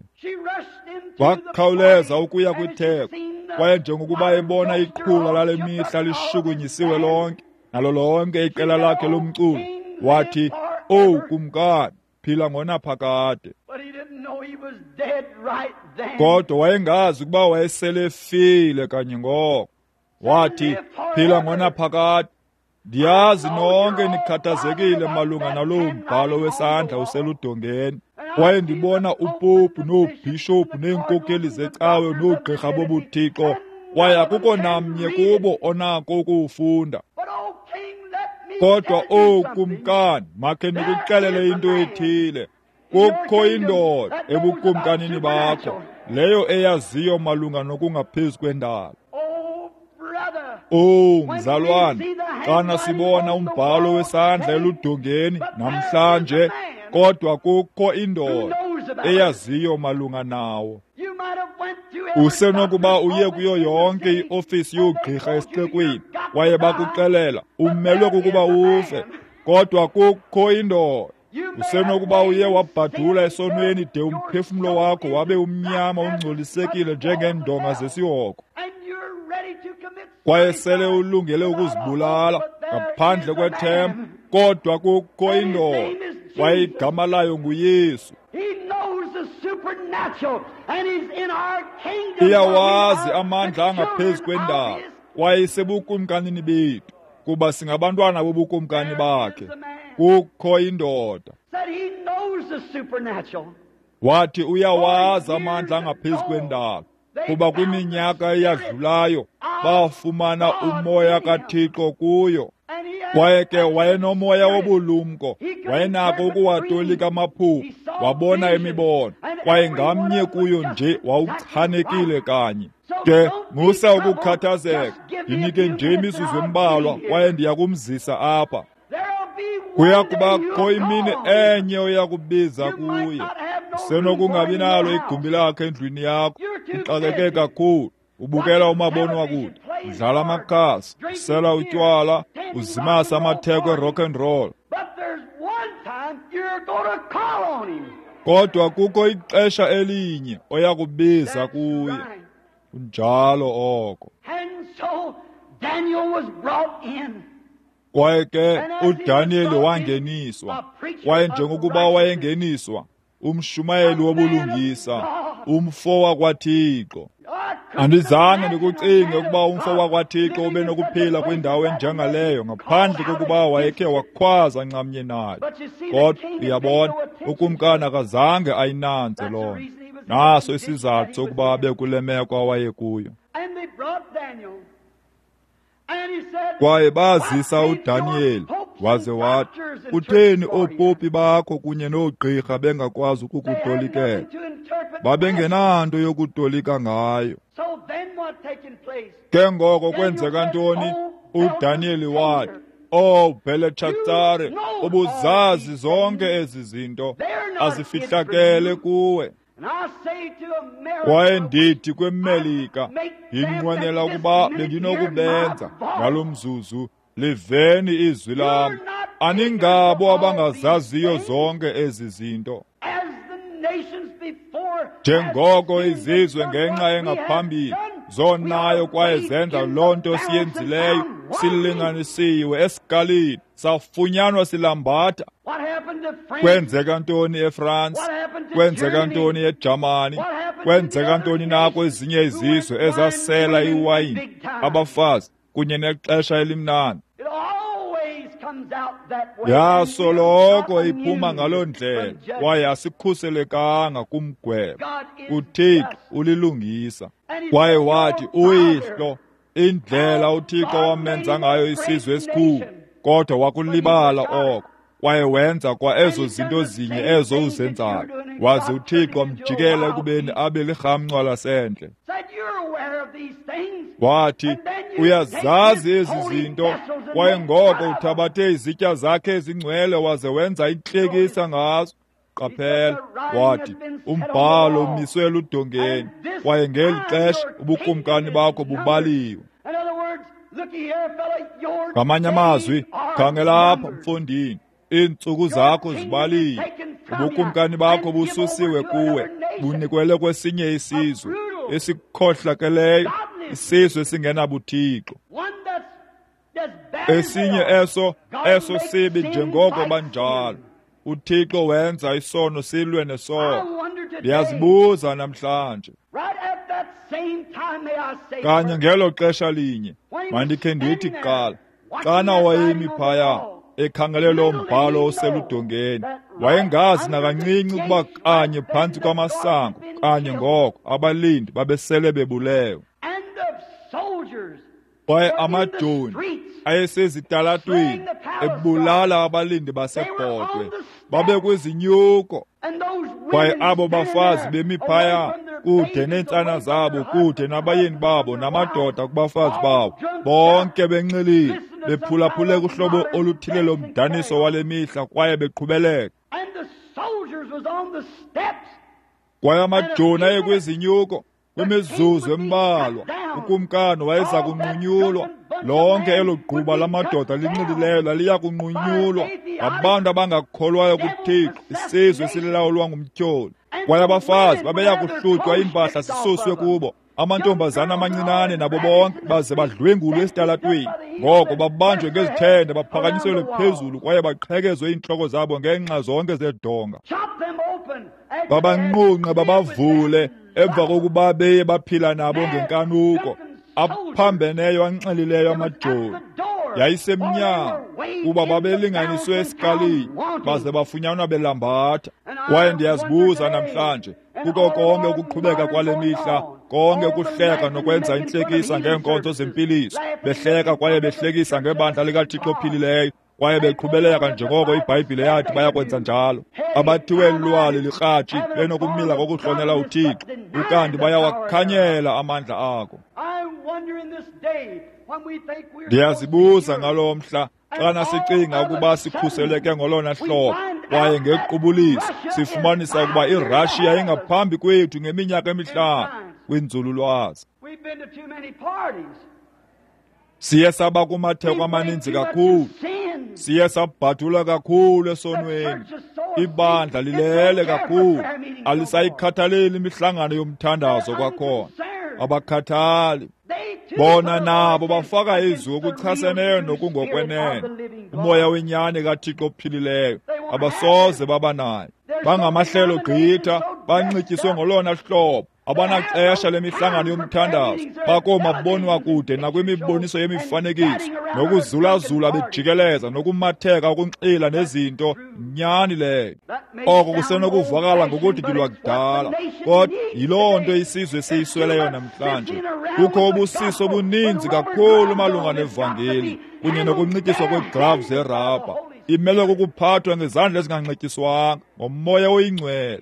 Wakhawuleza ukuya kwitheko, kwaye njengokuba ebona iqhula lale mihla lishukunyisiwe lonke nalo lonke iqela lakhe lomculo, wathi, "Owu kumkani, phila ngonaphakade." Kodwa wayengazi ukuba wayesele efile kanye ngoko. Wathi, "Phila ngonaphakade. Ndiyazi nonke nikhathazekile malunga naloo mbhalo wesandla useludongeni. Kwaye ndibona upopu noobhishophu neenkokheli zecawe noogqirha bobuthixo, kwaye akukho namnye kubo onako ukuwufunda. Kodwa, owu kumkani, makhe ndikuxelele into ethile. Kukho indoda ebukumkanini bakho, leyo eyaziyo malunga nokungaphezu kwendalo." Owu mzalwane, xana sibona umbhalo wesandla eludongeni namhlanje, kodwa kukho indoda eyaziyo malunga nawo. Usenokuba uye kuyo yonke iofisi yoogqirha esixekweni, kwaye bakuxelela umelwe kukuba ufe, kodwa kukho indoda. Usenokuba uye wabhadula esonweni de umphefumlo wakho wabe umnyama ungcolisekile njengeendonga zesihoko, kwaye sele ulungele ukuzibulala ngaphandle kwethemba, kodwa kukho indoda, kwaye igama layo nguYesu. Iyawazi amandla angaphezu kwendalo, kwaye isebukumkanini bethu, kuba singabantwana bobukumkani bakhe. Kukho indoda. Wathi uyawazi amandla angaphezu kwendalo, kuba kwiminyaka eyadlulayo bafumana umoya kaThixo kuyo. Kwaye ke wayenomoya wobulumko, wayenako ukuwatolika amaphupho, wabona imibono, kwaye ngamnye kuyo nje wawuchanekile kanye. Ke musa ukukhathazeka, ndinike nje imizuzu embalwa, kwaye ndiya kumzisa apha. Kuya kubakho imini enye oya kubiza kuye. Usenokungabi nalo igumbi lakhe endlwini yakho, uxakeke kakhulu, ubukela umabonwakude, udlala amakhasi, usela utywala, uzimasa amatheko e-rock and roll. Kodwa kukho ixesha elinye oya kubiza kuye. Kunjalo oko. Kwaye ke uDaniyeli wangeniswa, kwaye njengokuba wayengeniswa, umshumayeli wobulungisa, umfo wakwaThixo. Andizange ndikucinge ukuba umfo wakwaThixo ube nokuphila kwindawo enjengaleyo ngaphandle kokuba wayekhe wakhwaza nxamnye nayo. Kodwa uyabona, ukumkani akazange ayinanze loo nto. Naso isizathu sokuba abe kule meko awayekuyo. Kwaye bazisa uDaniyeli, Waze wathi, kutheni oopopi bakho kunye noogqirha bengakwazi ukukutolikela? Babengenanto yokutolika ngayo. Ke ngoko kwenzeka ntoni? UDaniyeli wathi, "Oh Bheletshatsare, ubuzazi zonke ezi zinto, azifihlakele kuwe." Kwaye ndithi kweMelika, ndinqwenela ukuba bendinokubenza ngalo mzuzu, liveni izwi lam. Aningabo abangazaziyo zonke ezi zinto. Njengoko izizwe ngenxa engaphambili zonayo kwaye zenza loo nto siyenzileyo, silinganisiwe esikalini, safunyanwa silambatha. Kwenzeka ntoni eFrance? Kwenzeka ntoni eJamani? Kwenzeka ntoni na kwezinye izizwe ezasela iwayini, abafazi kunye nexesha elimnandi? Yasoloko iphuma ngaloo ndlela, kwaye asikhuselekanga kumgwebo. UThixo ulilungisa. Kwaye wathi, uyihlo, indlela uThixo wamenza ngayo isizwe esikhulu, kodwa wakulibala oko, kwaye wenza kwa ezo zinto zinye ezo uzenzayo. Waze uThixo wamjikela ekubeni abe lirhamncwa lasendle. Wathi, uyazazi ezi zinto, kwaye ngoko uthabathe izitya zakhe ezingcwele waze wenza intlekisa ngazo. Qaphela, wathi, umbhalo umiswe eludongeni, kwaye ngeli xesha ubukumkani bakho bubaliwe. Ngamanye amazwi, khangela apha mfondini, iintsuku zakho zibaliwe, ubukumkani bakho bususiwe kuwe, bunikwele kwesinye isizwe esikhohlakeleyo, isizwe esingenabuthixo, esinye eso eso sibi njengoko banjalo. UThixo wenza isono silwe nesono. Ndiyazibuza namhlanje, kanye ngelo xesha linye, mandikhe ndithi kuqala, xana wayemi phaya ekhangele lo mbhalo oseludongeni, wayengazi nakancinci ukuba kanye phantsi kwamasango kanye ngoko abalindi babesele bebulewe. Kwaye amajoni ayesezitalatweni ebulala abalindi basebhodwe, babekwizinyuko. Kwaye abo bafazi bemi phaya kude neentsana zabo, kude nabayeni babo namadoda kubafazi babo, bonke benxilile, bephulaphule kuhlobo oluthile lomdaniso wale mihla kwaye beqhubeleka. Kwaye amajoni ayekwizinyuko. Kwimizuzu embalwa ukumkani wayeza kunqunyulwa. Lonke elo gquba lamadoda linxilileyo laliya kunqunyulwa ngabantu abangakholwayo kuThixo, isizwe esilawulwa ngumtyholi. Kwaye abafazi babeya kuhlutywa iimpahla zisuswe kubo, amantombazana amancinane nabo bonke baze badlwengulwe esitalatweni. Ngoko babanjwe ngezithende, baphakanyiselwe phezulu kwaye baqhekezwe iintloko zabo ngeenxa zonke zedonga. Babanqunqe babavule emva kokuba beye baphila nabo ngenkanuko, aphambeneyo anxilileyo amajoni. Yayisemnyango kuba babelinganiswe esikalini, baze bafunyanwa belambatha. Kwaye ndiyazibuza namhlanje, kuko konke ukuqhubeka kwale mihla, konke ukuhleka nokwenza intlekisa ngeenkonzo zempiliso, behleka kwaye behlekisa ngebandla likaThixo ophilileyo, kwaye beqhubeleka njengoko iBhayibhile yathi bayakwenza njalo. Abathiwe lwali likratshi benokumila kokuhlonela uThixo, ukanti bayawakhanyela amandla ako. Ndiyazibuza ngalo mhla, xana sicinga ukuba sikhuseleke ngolona hlobo, kwaye ngequbuliso sifumanisa ukuba iRussia ingaphambi kwethu ngeminyaka emihlanu kwinzululwazi. Siye saba kumatheko amaninzi kakhulu, siye sabhadula kakhulu esonweni. Ibandla lilele kakhulu, alisayikhathaleli imihlangano yomthandazo kwakhona. Abakhathali bona nabo bafaka izwi okuchaseneyo nokungokwenene. Umoya wenyani kaThixo ophilileyo abasoze baba nayo. Bangamahlelo gqitha, banxityiswe ngolona hlobo, Abanaxesha lemihlangano yomthandazo, bakoomabonwakude nakwimiboniso yemifanekiso, nokuzulazula bejikeleza, nokumatheka ukunxila nezinto. Nyani leyo. Oko kusenokuvakala ngokuthi lwakudala, kodwa yiloo nto isizwe siyisweleyo namhlanje. Kukho ubusiso obuninzi kakhulu malunga nevangeli kunye nokunxityiswa kweeglavu zerabha. Imelwe kukuphathwa ngezandla ezinganxityiswanga ngomoya oyingcwele.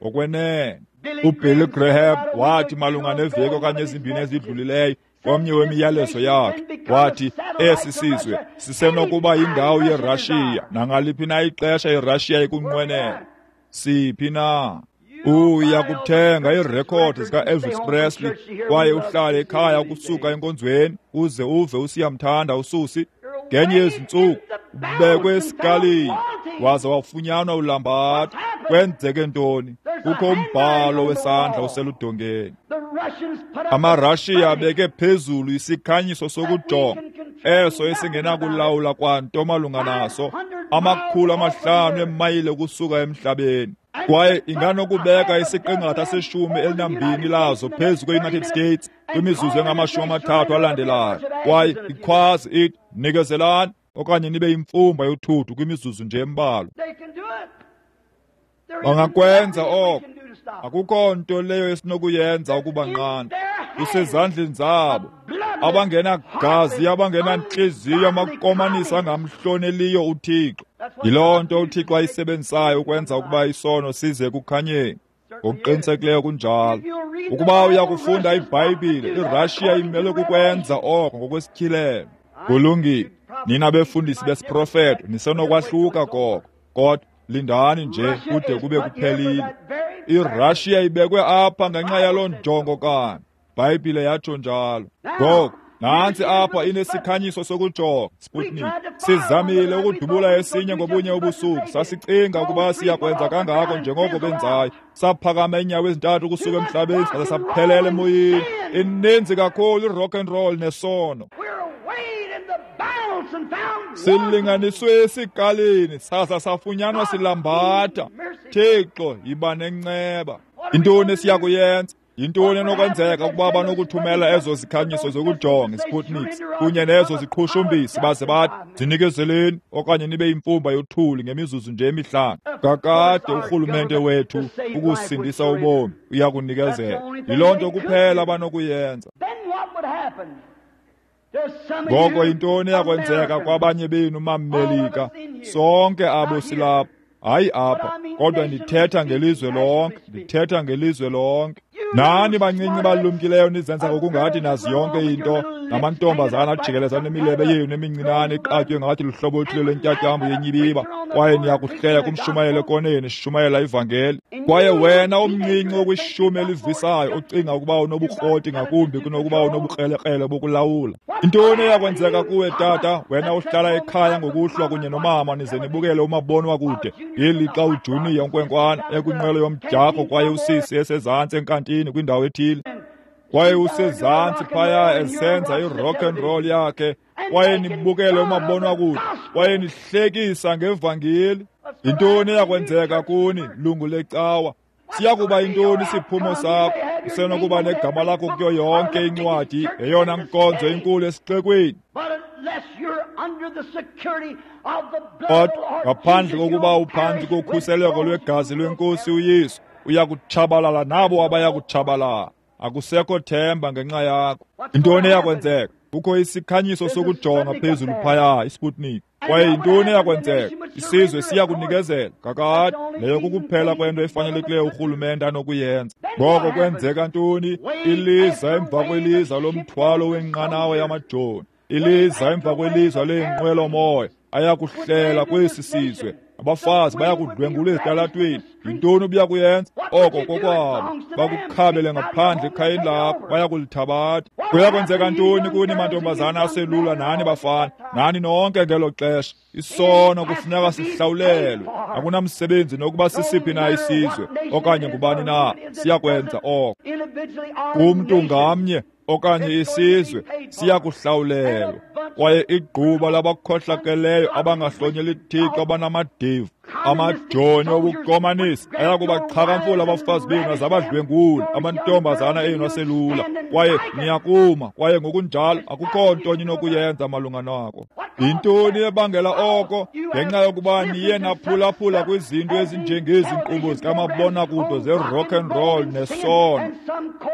Ngokwenene, uBilly Graham wathi malunga neveki okanye ezimbini ezidlulileyo komnye wemiyalezo yakhe, wathi esi sizwe sisenokuba yindawo yeRashiya nangaliphi na ixesha iRashiya ikunqwenela. Siphi na? Uya kuthenga iirekhodi zika-Elvis Presley kwaye uhlale ekhaya ukusuka enkonzweni uze uve usiyamthanda uSusi. Ngenye yezintsuku ubekwe esikalini waze wafunyanwa ulambatha. Kwenzeke ntoni? Kukho umbhalo wesandla oseludongeni. AmaRashiya abeke phezulu isikhanyiso sokujonga eso esingenakulawula kwanto malunga naso, amakhulu amahlanu eemayile ukusuka emhlabeni. Kwaye inganokubeka isiqingatha seshumi elinambini lazo phezu kwe-United States kwimizuzu engamashumi amathathu alandelayo. Kwaye ikhwazi ithi, nikezelani okanye nibe yimfumba yothuthu kwimizuzu nje embalwa. Bangakwenza oko. Akukho nto leyo esinokuyenza ukubanqanda. Kusezandleni zabo abangenagazi, abangenantliziyo, amakomanisi angamhloneliyo uThixo. Yiloo nto uThixo ayisebenzisayo ukwenza ukuba isono size ekukhanyeni. Ngokuqinisekileyo kunjalo. Ukuba uya kufunda iBhayibhile, iRashiya imelwe kukwenza oko ngokwesityhilelo. Kulungile, nina befundisi besiprofeto nisenokwahluka koko, kodwa lindani nje kude kube kuphelile. IRashiya ibekwe apha ngenxa yaloo njongo kanye. Bhayibhile yatsho njalo. Ngoku nantsi apha inesikhanyiso sokujonga, Sputnik. Sizamile ukudubula esinye ngobunye ubusuku. Sasicinga ukuba siyakwenza kangako njengoko benzayo. Saphakama iinyawo ezintathu ukusuka emhlabeni saze saphelela emoyeni. Ininzi kakhulu i-rock and roll nesono. Silinganiswe esikalini saza safunyanwa silambatha. Thixo, yiba nenceba. Yintoni esiya kuyenza? Yintoni enokwenzeka ukuba banokuthumela ezo zikhanyiso zokujonga, iSputniks, kunye nezo ziqhushumbisi baze bathi, zinikezeleni okanye nibe yimfumba yothuli ngemizuzu nje emihlanu? Kakade urhulumente wethu ukusindisa ubomi uya kunikezela. Yiloo nto kuphela abanokuyenza. Ngoko yintoni eyakwenzeka kwabanye benu maMelika? Sonke abo silapha. Hayi apha, kodwa ndithetha ngelizwe lonke, ndithetha ngelizwe lonke. Nani bancinci balumkileyo nizenza ngokungathi nazi yonke into, namantombazana ajikeleza nemilebe yenu emincinane iqatywe ngathi luhlobo oluthile lwentyatyambo yenyibiba, kwaye niyakuhleka kumshumayelo ekoneni sishumayela ivangeli. Kwaye wena omncinci okwishumi elivisayo ocinga ukuba unobukroti ngakumbi kunokuba unobukrelekrele bokulawula. Intoni eyakwenzeka kuwe tata, wena uhlala ekhaya ngokuhlwa kunye nomama nize nibukele umabonwakude ngelixa uJunior unkwenkwana ekwinqwelo yomdyarho kwaye usisi esezantsi enkantini kwindawo ethile, kwaye usezantsi phaya esenza i-rock and roll yakhe, kwaye nibukele umabonwakude kwaye nihlekisa ngevangeli? Yintoni eyakwenzeka kuni, lungu lecawa? Siya kuba yintoni isiphumo sakho? Usenokuba negama lakho kuyo yonke incwadi, yeyona nkonzo inkulu esixekweni. Kodwa ngaphandle kokuba uphantsi kokhuseleko lwegazi lweNkosi uYesu, uya kutshabalala nabo abaya kutshabalala. Akusekho themba ngenxa yakho. Yintoni eyakwenzeka? Kukho isikhanyiso sokujonga phezulu phaya, iSputnik. Kwaye yintoni eyakwenzeka? Isizwe siya kunikezela. Kakade, leyo kukuphela kwento efanelekileyo urhulumente anokuyenza. Ngoko kwenzeka ntoni? Iliza emva kweliza lomthwalo wenqanawa yamajoni, iliza emva kweliza leenqwelomoya ayakuhlela kwesi sizwe. Abafazi bayakudlwengula ezitalatweni. Yintoni obuya kuyenza? Oko kokwabo. Bakukhabele ngaphandle ekhayeni lakho, bayakulithabatha. Kuyakwenzeka ntoni kuni mantombazana aselula nani bafana, nani nonke ngelo xesha? Isono kufuneka sihlawulelwe. Akunamsebenzi nokuba sisiphi na isizwe okanye ngubani na, siyakwenza oko. Kumntu ngamnye okanye isizwe siyakuhlawulelwa. Kwaye igquba labakhohlakeleyo abangahlonyeli Thixo abanamadeva Amajoni obukomanisi ayakubaxhakamfula abafazi benu azabadlwengula, amantombazana enu aselula, kwaye niyakuma, kwaye ngokunjalo akukho nto ninokuyenza malunga nako. Yintoni ebangela oko? Ngenxa yokuba niye naphulaphula kwizinto ezinjengezi nkqubo zikamabonakude ze-rock and roll nesono,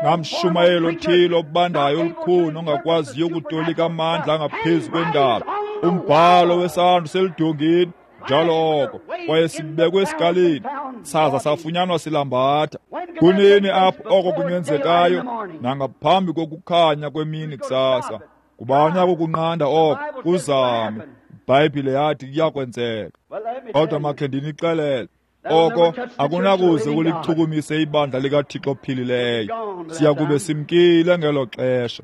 namshumayelo othile obandayo olukhuni ongakwaziyo ukutolika amandla angaphezu kwendalo. Umbhalo wesandla useludongeni njalo oko, kwaye sibekwe esikalini, saza safunyanwa silambatha. Kunini apho oko kungenzekayo? Nangaphambi kokukhanya kwemini kusasa. Ngubani oyakukunqanda oko? Kuzame. IBhayibhile yathi kuyakwenzeka. Kodwa makhe ndinixelele, oko akunakuze kulichukumise ibandla likaThixo ophilileyo. Siya kube simkile ngelo xesha.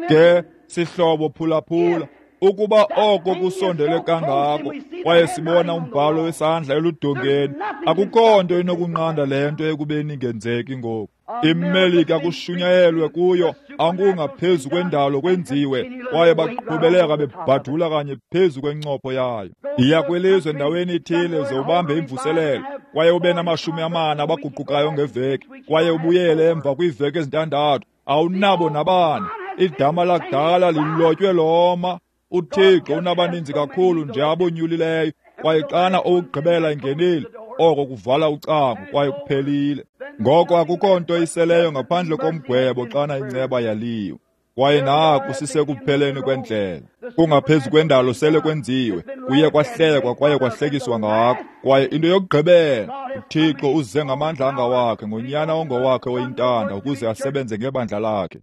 Ke sihlobo, phulaphula, ukuba oko kusondele kangako kwaye sibona umbhalo wesandla eludongeni, akukho nto inokunqanda le nto ekubeni ingenzeki ngoku. IMelika kushunyayelwe kuyo, angungaphezu kwendalo kwenziwe, kwaye baqhubeleka bebhadula kanye phezu kwencopho yayo. Iya kwilizwe endaweni ithile uze ubambe imvuselelo, kwaye ube namashumi amane abaguqukayo ngeveki, kwaye ubuyele emva kwiiveki ezintandathu, awunabo nabani. Idama lakudala lilotywe loma. UThixo unabaninzi kakhulu nje abonyulileyo, kwaye xana owokugqibela ingenile, oko kuvala ucango kwaye kuphelile. Ngoko akukho nto iseleyo ngaphandle komgwebo xana inceba yaliwe. Kwaye naku sisekupheleni kwendlela. Kungaphezu kwendalo sele kwenziwe, kuye kwahlekwa kwaye kwahlekiswa ngako. Kwaye into yokugqibela, uThixo uze ngamandla angawakhe, ngonyana ongowakhe oyintanda, ukuze asebenze ngebandla lakhe.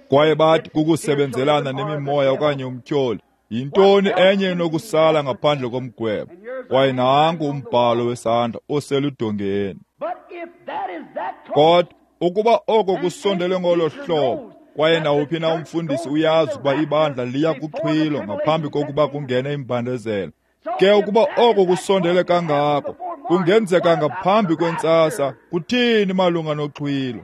Kwaye bathi kukusebenzelana nemimoya okanye umtyholi. Yintoni enye enokusala ngaphandle komgwebo? Kwaye nanku umbhalo wesandla oseludongeni. Kodwa ukuba oko kusondele ngolo hlobo, kwaye nawuphi na umfundisi uyazi ukuba ibandla liya kuxhwilo ngaphambi kokuba kungene imbandezelo. Ke ukuba oko kusondele kangako, kungenzeka ngaphambi kwentsasa, kuthini malunga noxhwilo?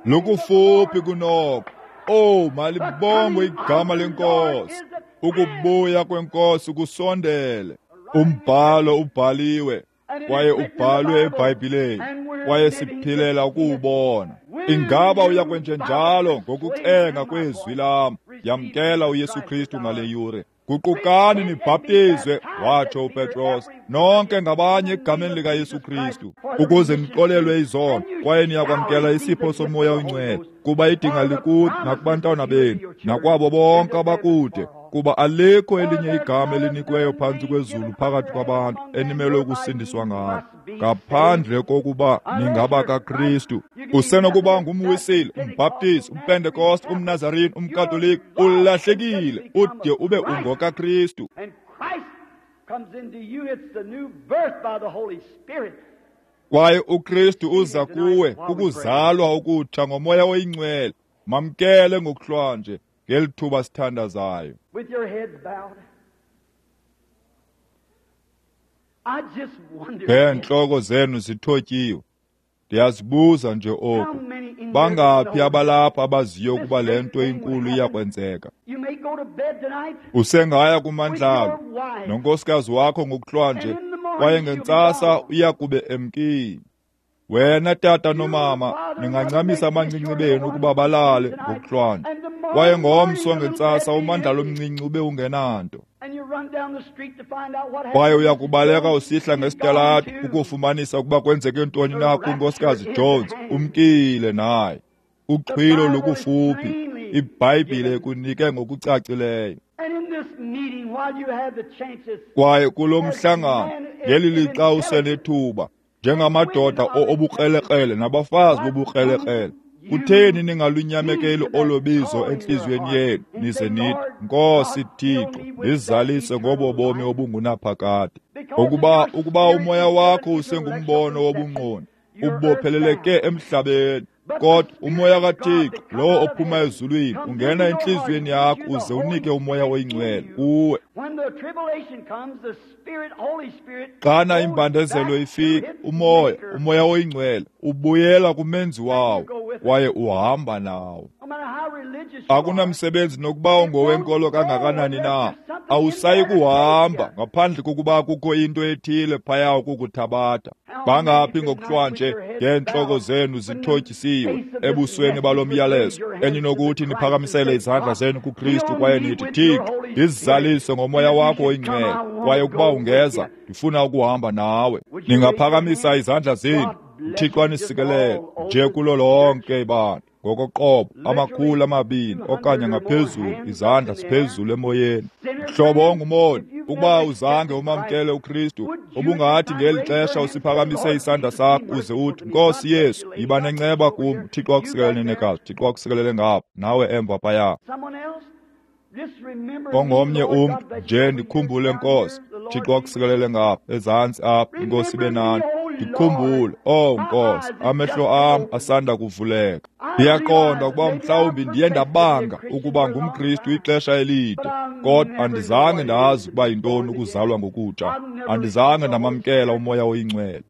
Lukufuphi kunoko. Oh, malibongwe igama lenkosi. Ukubuya kwenkosi kusondele. Umbhalo ubhaliwe, kwaye ubhalwe eBhayibhileni, kwaye siphilela ukuwubona. Ingaba uyakwenjenjalo ngokucenga kwezwi lam? Yamkela uYesu Kristu ngale yure. Guqukani nibhaptizwe, watsho uPetros, nonke ngabanye egameni likaYesu Kristu, ukuze nixolelwe izono, kwaye niyakwamkela isipho soMoya oyiNgcwele, kuba idinga likude nakubantwana benu, nakwabo bonke abakude, kuba alikho elinye igama elinikiweyo phantsi kwezulu phakathi kwabantu enimelwe ukusindiswa ngalo, ngaphandle kokuba ningaba kaKristu. Usenokuba ngumWisile, umBhaptizi, umPentekoste, umNazarene, umKatolika, ulahlekile ude ube ungokaKristu. Kwaye uKristu uza kuwe kukuzalwa okutsha ngoMoya oyiNgcwele. Mamkele ngokuhlwanje ngeli thuba sithandazayo. Ngeentloko zenu zithotyiwe, ndiyazibuza nje oku, bangaphi abalapha abaziyo ukuba le nto inkulu iyakwenzeka? Usengaya kumandlalo nonkosikazi wakho ngokuhlwanje, kwaye ngentsasa uyakube emkile. Wena tata nomama, ningancamisa amancinci benu ukuba balale ngokuhlwanje, kwaye ngomso ngentsasa umandlalo omncinci ube ungenanto. Kwaye uyakubaleka usihla ngesitalato ukufumanisa ukuba kwenzeke ntoni na kuNkosikazi Jones, umkile naye. Uxhwilo lukufuphi, iBhayibhile ikunike ngokucacileyo. Kwaye kulo mhlangano, ngeli lixa usenethuba, njengamadoda obukrelekrele nabafazi bobukrelekrele, kutheni ningalunyamekeli olo bizo entliziyweni yenu, nize nithi, Nkosi Thixo, ndizalise ngobo bomi obungunaphakade. Ngokuba ukuba umoya wakho usengumbono wobungqondi, ubopheleleke emhlabeni, kodwa umoya kaThixo, lowo ophuma ezulwini, ungena entliziyweni yakho uze unike uMoya oyiNgcwele kuwe. Xana imbandezelo ifika, umoya, uMoya oyiNgcwele ubuyela kumenzi wawo, kwaye uhamba nawo. Akunamsebenzi nokuba ungowenkolo kangakanani na, awusayi kuhamba ngaphandle kokuba kukho into ethile phaya ukukuthabatha. Bangaphi ngokuhlwanje ngeentloko zenu zithotyisiwe ebusweni balo myalezo eninokuthi niphakamisele izandla zenu kuKristu kwaye nithi, Thixo, ndizizalise ngomoya wakho oyingcwele, kwaye ukuba ungeza ndifuna ukuhamba nawe. Ningaphakamisa izandla zenu. Thixo anisikelele nje kulo lonke ibandla ngokoqobo, amakhulu amabini okanye ngaphezulu, izandla ziphezulu emoyeni. Mhlobo ongumoni, ukuba uzange umamkele uKristu, ubungathi ngeli xesha usiphakamise isandla sakho uze uthi, Nkosi Yesu, yiba nenceba kum. Thixo akusikelele nenekazi, Thixo akusikelele ngapha nawe emva phaya. Ongomnye umntu nje, ndikhumbule Nkosi. Thixo akusikelele ngapha ezantsi apha, iNkosi ibe nani. Ndikhumbule, oh Nkosi, amehlo am asanda kuvuleka. Ndiyaqonda ukuba mhlawumbi ndiye ndabanga ukuba ngumKristu ixesha elide, kodwa andizange ndazi ukuba yintoni ukuzalwa ngokutsha. Andizange ndamamkela uMoya oyiNgcwele.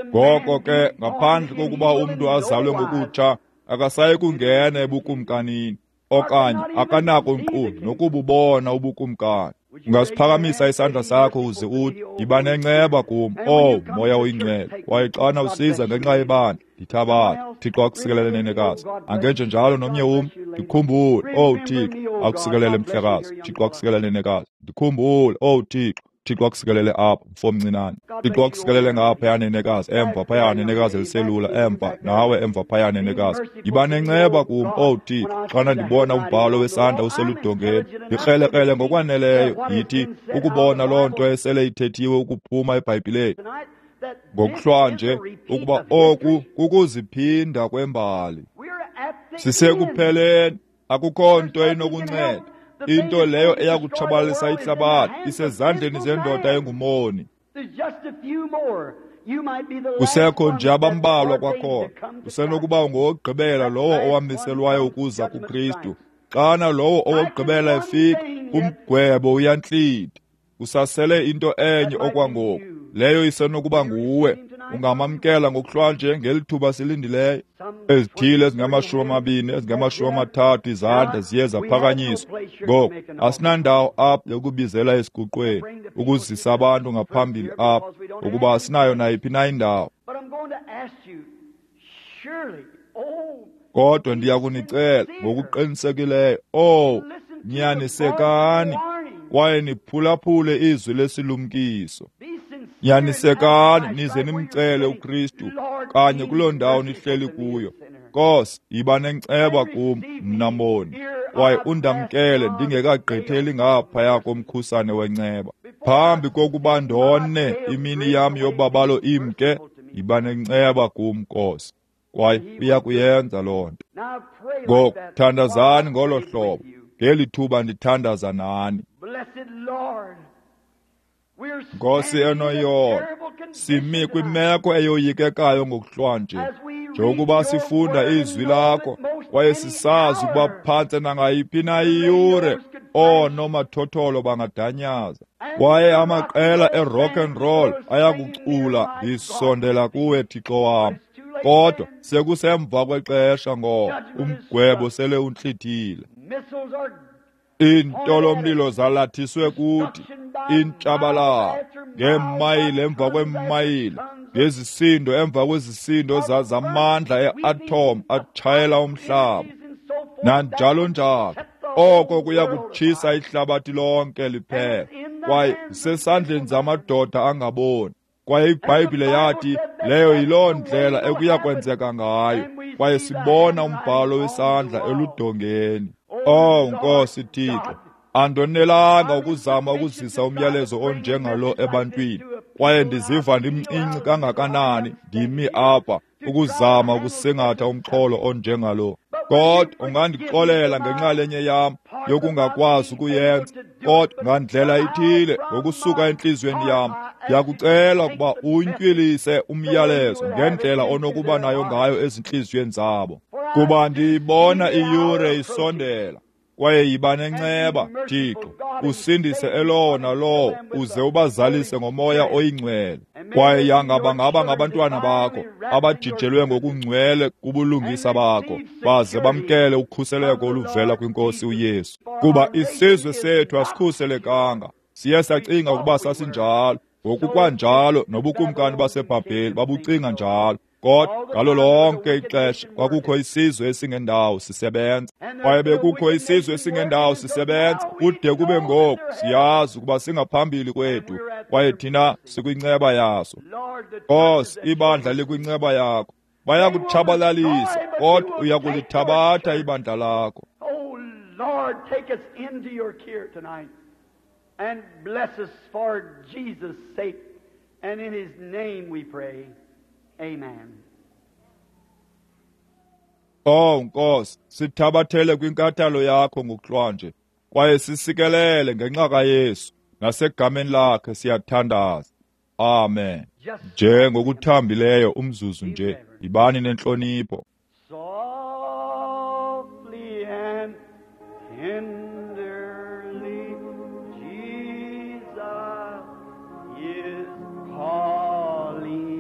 Ngoko ke, ngaphandle kokuba umntu azalwe ngokutsha, akasayi kungena ebukumkanini, okanye akanako nkqu nokububona ubukumkani. Ungasiphakamisa isandla sakho uze uthi, yiba nenceba kum, oh Moya oyiNgcwele, kwaye xana usiza ngenxa yebandla, ndithabathe. Thixo akusikelele nenekazi. Angenje njalo nomnye umntu, ndikhumbule, oh Thixo, akusikelele mhlekazi. Thixo akusikelele nenekazi. Ndikhumbule, oh Thixo. Thixo akusikelele apha, mfo mncinane. Thixo akusikelele ngaphaya nenekazi, emva phaya nenekazi eliselula, emva nawe emva phaya nenekazi. Yiba nenceba kum, oh Thixo, xana ndibona umbhalo wesandla useludongeni. Ndikrelekrele ngokwaneleyo, yithi ukubona loo nto esele ithethiwe ukuphuma eBhayibhileni ngokuhlwanje, ukuba oku kukuziphinda kwembali. Sisekupheleni, akukho nto inokunceda. Into leyo eyakutshabalalisa ihlabathi isezandleni zendoda engumoni. Kusekho nje abambalwa kwakhona. Usenokuba ngowokugqibela lowo owamiselwayo ukuza kuKristu. Xana lowo owokugqibela efika, umgwebo uyantlitha. Usasele into enye okwangoku, leyo isenokuba nguwe. Ungamamkela ngokuhlwanje ngeli thuba silindileyo. Ezithile ezingamashumi amabini, ezingamashumi amathathu izandla ziye zaphakanyiswa. Ngoku asinandawo apha yokubizela esiguqweni, ukuzisa abantu ngaphambili apha, ukuba asinayo nayiphi na indawo. Kodwa ndiyakunicela ngokuqinisekileyo, oh, nyanisekani kwaye niphulaphule izwi lesilumkiso. Nyanisekani nize nimcele uKristu kanye kuloo ndawo nihleli kuyo. Nkosi, yiba nenceba kum, mna moni, kwaye undamkele ndingekagqitheli ngaphaya komkhusane wenceba. Phambi kokuba ndone imini yam yobabalo imke, yiba nenceba kum, Nkosi. Kwaye uya kuyenza loo nto. Ngoku thandazani ngolo hlobo ngeli thuba ndithandaza nani. Nkosi enoyolo, simi kwimeko eyoyikekayo ngokuhlwanje, njengokuba sifunda izwi lakho kwaye sisazi ukuba phantse nangayiphi na iyure oonomathotholo bangadanyaza, kwaye amaqela e-rock and roll ayakucula, ndisondela kuwe Thixo wam. Kodwa sekusemva kwexesha ngoba umgwebo sele untlithile. Iintolomlilo zalathiswe kuthi, intshabalalo ngeemayile emva kweemayile, ngezisindo emva kwezisindo zamandla e-atom atshayela umhlaba, nanjalo njalo. Oko kuya kutshisa ihlabathi lonke liphela, kwaye zisesandleni zamadoda angaboni. Kwaye iBhayibhile yathi leyo yiloo ndlela ekuya kwenzeka ngayo, kwaye sibona umbhalo wesandla eludongeni. Oh Nkosi Thixo, andonelanga ukuzama ukuzisa umyalezo onjengalo ebantwini, kwaye ndiziva ndimncinci kangakanani ndimi apha ukuzama ukusingatha umxholo onjengalo. Kodwa ungandixolela ngenxalenye yam yokungakwazi ukuyenza, kodwa ngandlela ithile ngokusuka entliziyweni yam ndiyakucela ukuba untywilise umyalezo ngendlela onokuba nayo ngayo ezintliziyweni zabo, kuba ndiyibona iyure isondela. Kwaye yiba nenceba, Thixo, usindise elowo nalowo, uze ubazalise ngoMoya oyiNgcwele. Kwaye yanga bangaba ngabantwana bakho, abajijelwe ngokungcwele kubulungisa bakho, baze bamkele ukhuseleko oluvela kwiNkosi uYesu. Kuba isizwe sethu asikhuselekanga, siye sacinga ukuba sasinjalo, ngokukwanjalo nobukumkani baseBhabheli babucinga njalo. Kodwa ngalo lonke ixesha kwakukho isizwe esingendawo sisebenza, kwaye bekukho isizwe esingendawo sisebenza kude kube ngoku. Siyazi ukuba singaphambili kwethu, kwaye thina sikwinceba yaso. Nkosi, ibandla likwinceba yakho. Bayakutshabalalisa, kodwa uyakulithabatha ibandla lakho. Oh Lord, take us into your care tonight and bless us for Jesus' sake, and in his name we pray. Amen. Oh Nkosi, sithabathele kwinkathalo yakho ngokuhlwanje, kwaye sisikelele ngenxa kaYesu, nasegameni lakhe siyathandaza. Amen. Nje ngokuthambileyo umzuzu nje, yibani nentlonipho. Softly and tenderly, Jesus is calling,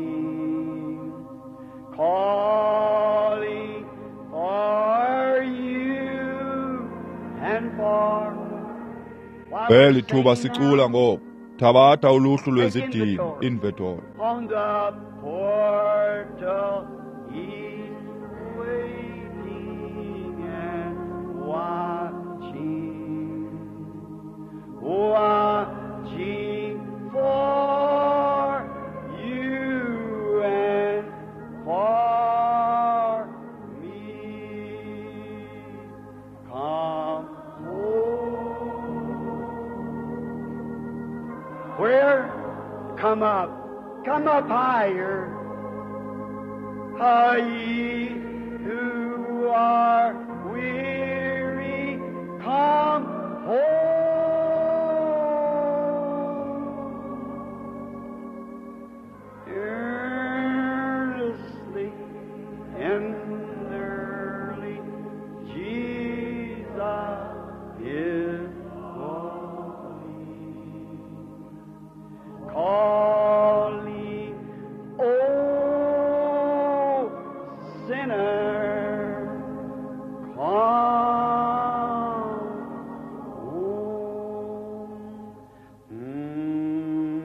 calling for you and for. Kweli thuba sicula ngoku, thabatha uluhlu lwezidingo, inventory. On the portal he's waiting and watching, watching for you and for me. Come home. Where? Come up. Come up higher. Ah, ye who are weary, come home. Earnestly, tenderly, Jesus is calling, calling, oh sinner, come home. Mm.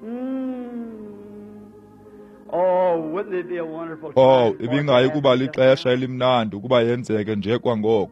Mm. Oh, wouldn't it be a wonderful Oh, time for ibingayi it to kuba happen just lixesha now? elimnandi ukuba yenzeke nje kwangoko.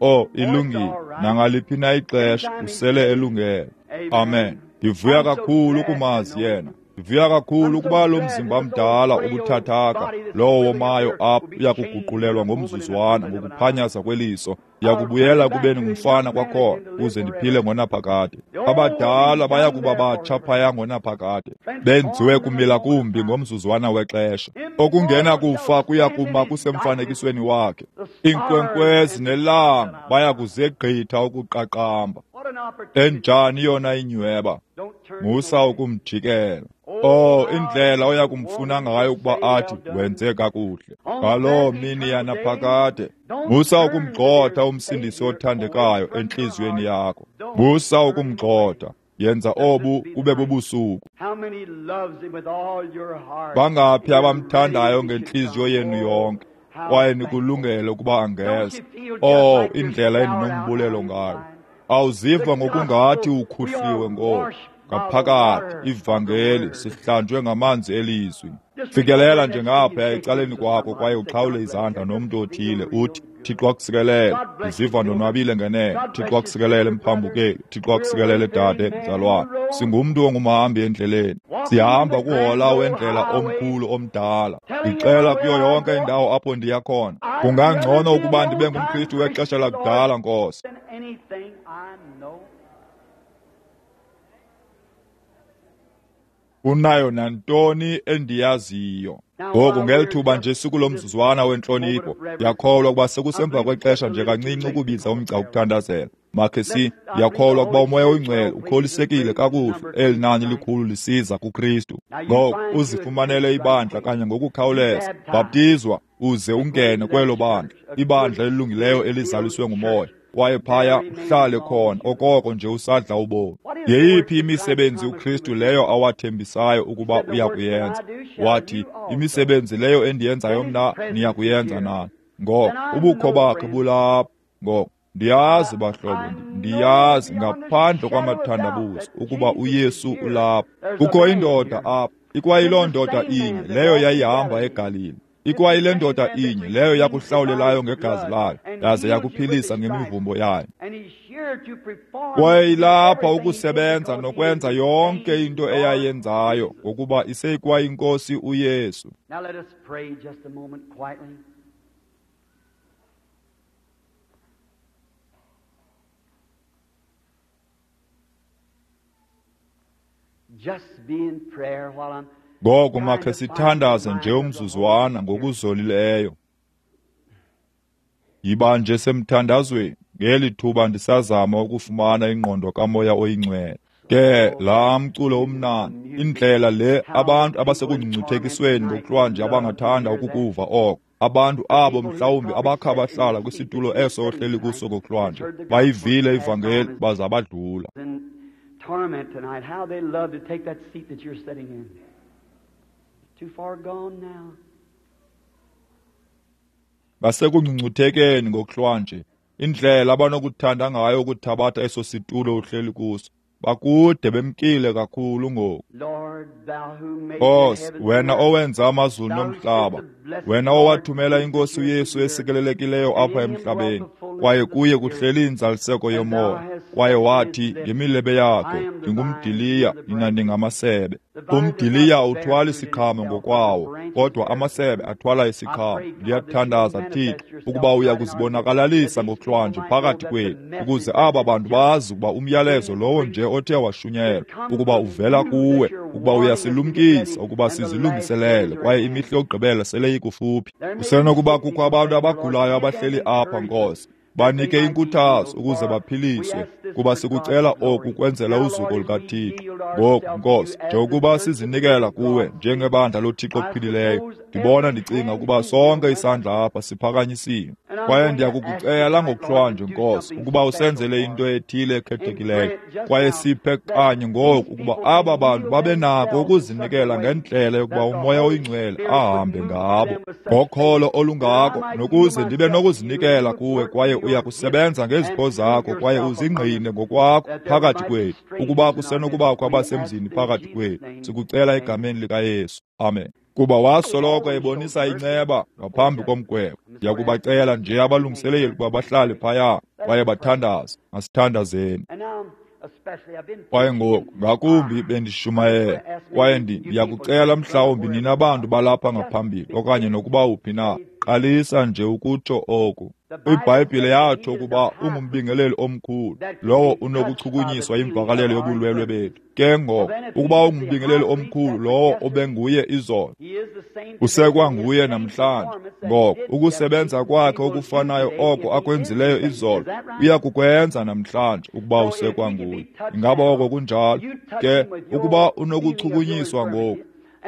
Oh, ilungile. Nangaliphi na ixesha usele elungele. Amen. Ndivuya kakhulu ukumazi yena. Ndivuya kakhulu ukuba lo mzimba mdala ubuthathaka, lowo womayo apha uyakuguqulelwa ngomzuzwana ngokuphanyaza kweliso. Ndiyakubuyela kubeni ngumfana kwakhona ukuze ndiphile ngonaphakade. Abadala bayakuba batsha phaya ngonaphakade, benziwe kumila kumbi ngomzuzwana wexesha. Okungena kufa kuya kuma kusemfanekisweni wakhe. Iinkwenkwezi nelanga baya kuzegqitha ukuqaqamba. What an opportunity. Enjani yona inyweba? Don't turn Musa away. ukumjikela. Oh, indlela oya kumfuna ngayo ukuba athi wenze kakuhle ngaloo mini yanaphakade. Musa ukumgxotha umsindisi othandekayo entliziyweni yakho. Musa ukumgxotha. Yenza obu kube bubusuku. How many loves him with all your heart? Bangaphi You're abamthandayo ready to ngentliziyo come. yenu yonke, How kwaye thankful. nikulungele ukuba angeza? Don't you feel just Oh, like you're indlela showered out endinombulelo on ngayo. inside? Awuziva ngokungathi ukhuhliwe ngoku. Ngaphakathi ivangeli sihlanjwe ngamanzi elizwi. Fikelela nje ngaphaya ecaleni kwakho kwaye uxhawule izandla nomntu othile, uthi, Thixo akusikelele, ndiziva ndonwabile ngenene. Thixo akusikelele mphambukeli, Thixo akusikelele dade mzalwane. Singumntu ongumhambi endleleni, sihamba kuhola wendlela omkhulu omdala. Ndixela kuyo yonke indawo apho ndiya khona. Kungangcono ukuba ndibe ngumKristu wexesha lakudala, Nkosi. Than anything I know. Unayo nantoni endiyaziyo. Ngoku ngeli thuba nje sikulo mzuzwana wentlonipho, ndiyakholwa ukuba sekusemva kwexesha nje kancinci ukubiza umgca wokuthandazela. Makhe si, ndiyakholwa ukuba uMoya oyiNgcwele ukholisekile kakuhle, eli nani likhulu lisiza kuKristu. Ngoku uzifumanele ibandla kanye ngokukhawuleza, bhaptizwa uze ungene kwelo bandla, ibandla elilungileyo elizaliswe nguMoya. Kwaye phaya uhlale khona okoko nje usadla ubomi. Yeyiphi imisebenzi uKristu leyo awathembisayo ukuba uya kuyenza? Wathi, imisebenzi leyo endiyenzayo mna niya kuyenza nani. Ngoko ubukho bakhe bulapha. Ngoko ndiyazi bahlobo, ndiyazi ngaphandle kwamathandabuzo ukuba uYesu ulapha. Kukho indoda apha, ikwayiloo ndoda inye leyo yayihamba eGalili. Ikwayile ndoda inye leyo yakuhlawulelayo ngegazi layo, yaze yakuphilisa ngemivumbo yayo. Kwaye ilapha ukusebenza nokwenza yonke into eyayenzayo, ngokuba iseyikwayinkosi uYesu. Now let us pray just a moment quietly. Just be in prayer while I'm Ngoku makhe sithandaze nje umzuzwana ngokuzolileyo. Yiba nje semthandazweni ngeli thuba ndisazama ukufumana ingqondo kaMoya oyiNgcwele. Ke laa mculo umnandi, indlela le abantu abasekungcungcuthekisweni ngokuhlwanje abangathanda ukukuva oko. Abantu abo mhlawumbi abakha bahlala kwisitulo eso ohleli kuso ngokuhlwanje, bayivile ivangeli baza badlula. in torment tonight, how they love to take that seat that you're sitting in. Too far gone now. Basekungcungcuthekeni ngokuhlwanje, indlela abanokuthanda ngayo ukuthabatha eso situlo uhleli kuso. Bakude bemkile kakhulu ngoku. Lord, thou who made the Nkosi, heavens wena and earth, owenza amazulu nomhlaba, wena owathumela inkosi uYesu esikelelekileyo apha emhlabeni, kwaye kuye kuhleli inzaliseko yomoya, kwaye wathi ngemilebe yakhe, ndingumdiliya, nina ningamasebe. Umdiliya awuthwali siqhamo ngokwawo, kodwa amasebe athwala isiqhamo. Ndiyathandaza, Thixo, ukuba uya kuzibonakalalisa ngokuhlwanje phakathi kwethu, ukuze aba bantu bazi ukuba umyalezo lowo nje othe washunyelwa, ukuba uvela kuwe, ukuba uyasilumkisa ukuba sizilungiselele, kwaye imihla yokugqibela sele ikufuphi. Kusenokuba kukho abantu abagulayo abahleli apha, Nkosi. Banike inkuthazo ukuze baphiliswe, kuba sikucela oku kwenzela uzuko lukaThixo. Ngoku, Nkosi, njengokuba sizinikela kuwe njengebandla loThixo ophilileyo, ndibona ndicinga ukuba sonke isandla apha siphakanyisiwe. Kwaye ndiyakukucela ngokuhlwanje, Nkosi, ukuba usenzele into ethile ekhethekileyo, kwaye siphe kanye ngoku ukuba aba bantu babe nako ukuzinikela ngendlela yokuba uMoya oyiNgcwele ahambe ngabo ngokholo olungako, nokuze ndibe nokuzinikela kuwe, kwaye uya kusebenza ngezipho zakho, kwaye uzingqine ngokwakho phakathi kwethu, ukuba kusenokubakho abasemzini phakathi kwethu. Sikucela egameni likaYesu. Amen. Kuba wasoloko ebonisa inceba ngaphambi komgwebo. Ndiyakubacela nje abalungiseleli ukuba bahlale phaya kwaye bathandaze. Masithandazeni. And now, especially, I've been Kwaye ngoku ngakumbi bendishumayela, kwaye ndi- ndiyakucela mhlawumbi nina bantu balapha ngaphambili okanye nokuba uphi na, qalisa nje ukutsho oku. IBhayibhile yatsho ukuba ungumbingeleli omkhulu, lowo unokuchukunyiswa yimvakalelo yobulwelwe bethu. Ke ngoko, ukuba ungumbingeleli omkhulu lowo obenguye izolo, He is the same usekwanguye namhlanje. Ngoko ukusebenza kwakhe okufanayo oko akwenzileyo izolo, uya kukwenza namhlanje ukuba usekwanguye. Ingaba oko kunjalo? Ke ukuba unokuchukunyiswa ngoku,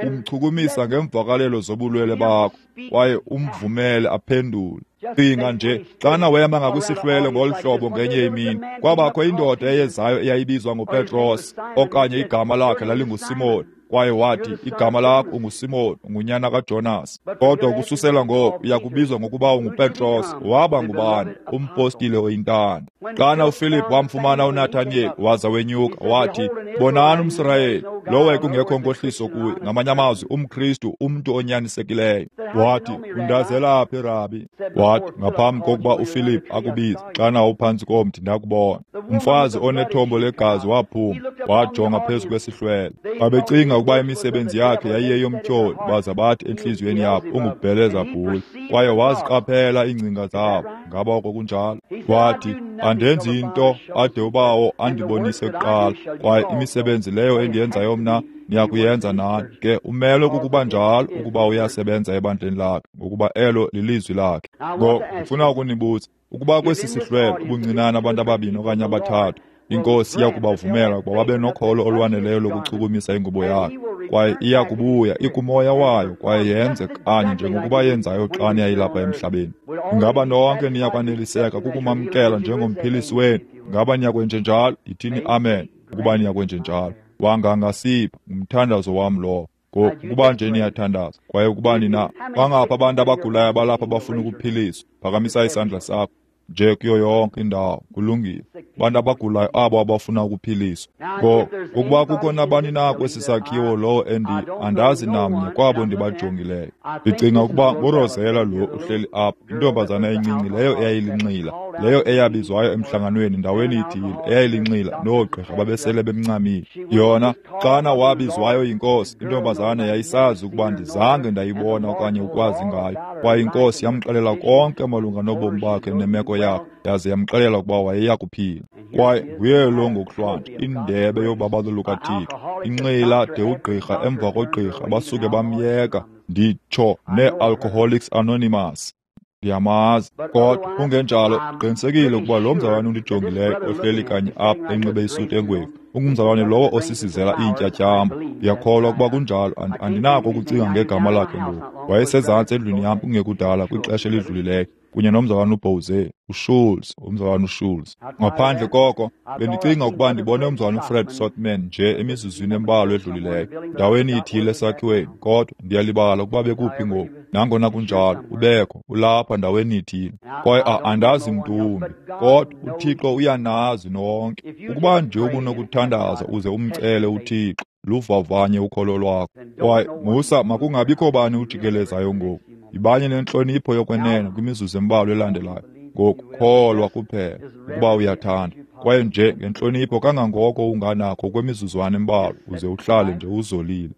umchukumisa ngeemvakalelo zobulwele bakho, kwaye umvumele aphendule. Cinga nje, xana wema ngakwisihlwele ngolu hlobo ngenye imini, kwabakho indoda eyezayo eyayibizwa ngoPetros, okanye igama lakhe lalinguSimoni. Kwaye wathi, igama lakho unguSimoni, ungunyana kaJonas. Kodwa ukususela ngoko uya kubizwa ngokuba unguPetros. Waba ngubani? Umpostile oyintanda. Xana uFilip wamfumana uNathaniyeli, waza wenyuka, wathi, bonani umSirayeli, lowo ekungekho nkohliso kuye. Ngamanye amazwi, umKristu, umntu onyanisekileyo. Wathi, undazela phi, Rabi? Wathi, ngaphambi kokuba uFilip akubize, xana uphantsi komthi ndakubona. Umfazi onethombo legazi waphuma, wajonga phezu kwesihlwele. Babecinga ukuba imisebenzi yakhe yayiyeyomtyholi, baza bathi entliziyweni yabo, unguBhelezabhuli. Kwaye waziqaphela iingcinga zabo. Ngaba oko kunjalo? Wathi, andenzi into ade uBawo andibonise kuqala, kwaye imisebenzi leyo endiyenzayo mna niyakuyenza nani. Ke umelwe kukuba njalo ukuba uyasebenza ebandleni lakhe, ngokuba elo lilizwi lakhe. Ngoku ndifuna ukunibuza, ukuba kwesi sihlwele ubuncinane abantu ababini okanye abathathu, iNkosi iya kubavumela ukuba babe nokholo olwaneleyo lokuchukumisa ingubo yakhe, kwaye iya kubuya ikumoya wayo kwaye yenze kanye njengokuba yenzayo xa yayilapha emhlabeni. Ingaba nonke niya kwaneliseka kukumamkela njengomphilisi wenu? Ingaba niyakwenjenjalo? Yithini amen ukuba niyakwenjenjalo. Wangangasipha, ngumthandazo wam lowo. Ngoku ukuba nje niyathandaza, kwaye ukuba nina bangaphi abantu abagulayo abalapha abafuna ukuphiliswa, phakamisa isandla sakho nje kuyo yonke indawo. Kulungile. Abantu abagulayo abo abafuna ukuphiliswa. Ngoku ukuba kukho nabani na kwesi sakhiwo lowo endi andazi namnye kwabo ndibajongileyo, ndicinga ukuba nguRosela lo uhleli apha, intombazana encinci leyo eyayilinxila, leyo eyabizwayo emhlanganweni ndaweni ithile, eyayilinxila noogqirha babesele bemncamile. Yona xana wabizwayo yinkosi, intombazana yayisazi ukuba ndizange ndayibona okanye ukwazi ngayo, kwaye inkosi yamxelela konke malunga nobomi bakhe nemeko yakhe, yaze yamxelela ukuba wayeya kuphila. Kwaye nguye lo ngokuhlwanje, indebe yobabalo lukaThixo, inxila de ugqirha emva kogqirha basuke bamyeka, nditsho nee-Alcoholics Anonymous. Ndiyamazi. Kodwa kungenjalo, qinisekile ukuba lo mzalwane undijongileyo ohleli kanye apha enxibe isuti engwevu ungumzalwane lowo osisizela iintyatyambo. Ndiyakholwa ukuba kunjalo. Andinako ukucinga ngegama lakhe ngoku. Wayesezantsi endlwini yam kungekudala kwixesha elidlulileyo, kunye nomzalwane uBowze, uSchulz, umzalwane uSchulz. Ngaphandle koko, bendicinga ukuba ndibone umzalwane uFred Sotman nje emizuzwini embalwa edlulileyo, ndaweni ithile esakhiweni, kodwa ndiyalibala ukuba bekuphi ngoku. Nangona kunjalo, ubekho, ulapha ndaweni ithile. Kwaye andazi mntu wumbi, kodwa uThixo uyanazi nonke. Ukuba nje ubunokuthandaza uze umcele uThixo, luvavanye ukholo lwakho. Kwaye musa makungabikho bani ujikelezayo ngoku. Yibanye nentlonipho yokwenene kwimizuzu embalwa elandelayo. Ngokukholwa kuphela ukuba uyathanda, kwaye nje ngentlonipho kangangoko unganakho kwemizuzwana embalwa, uze uhlale nje uzolile.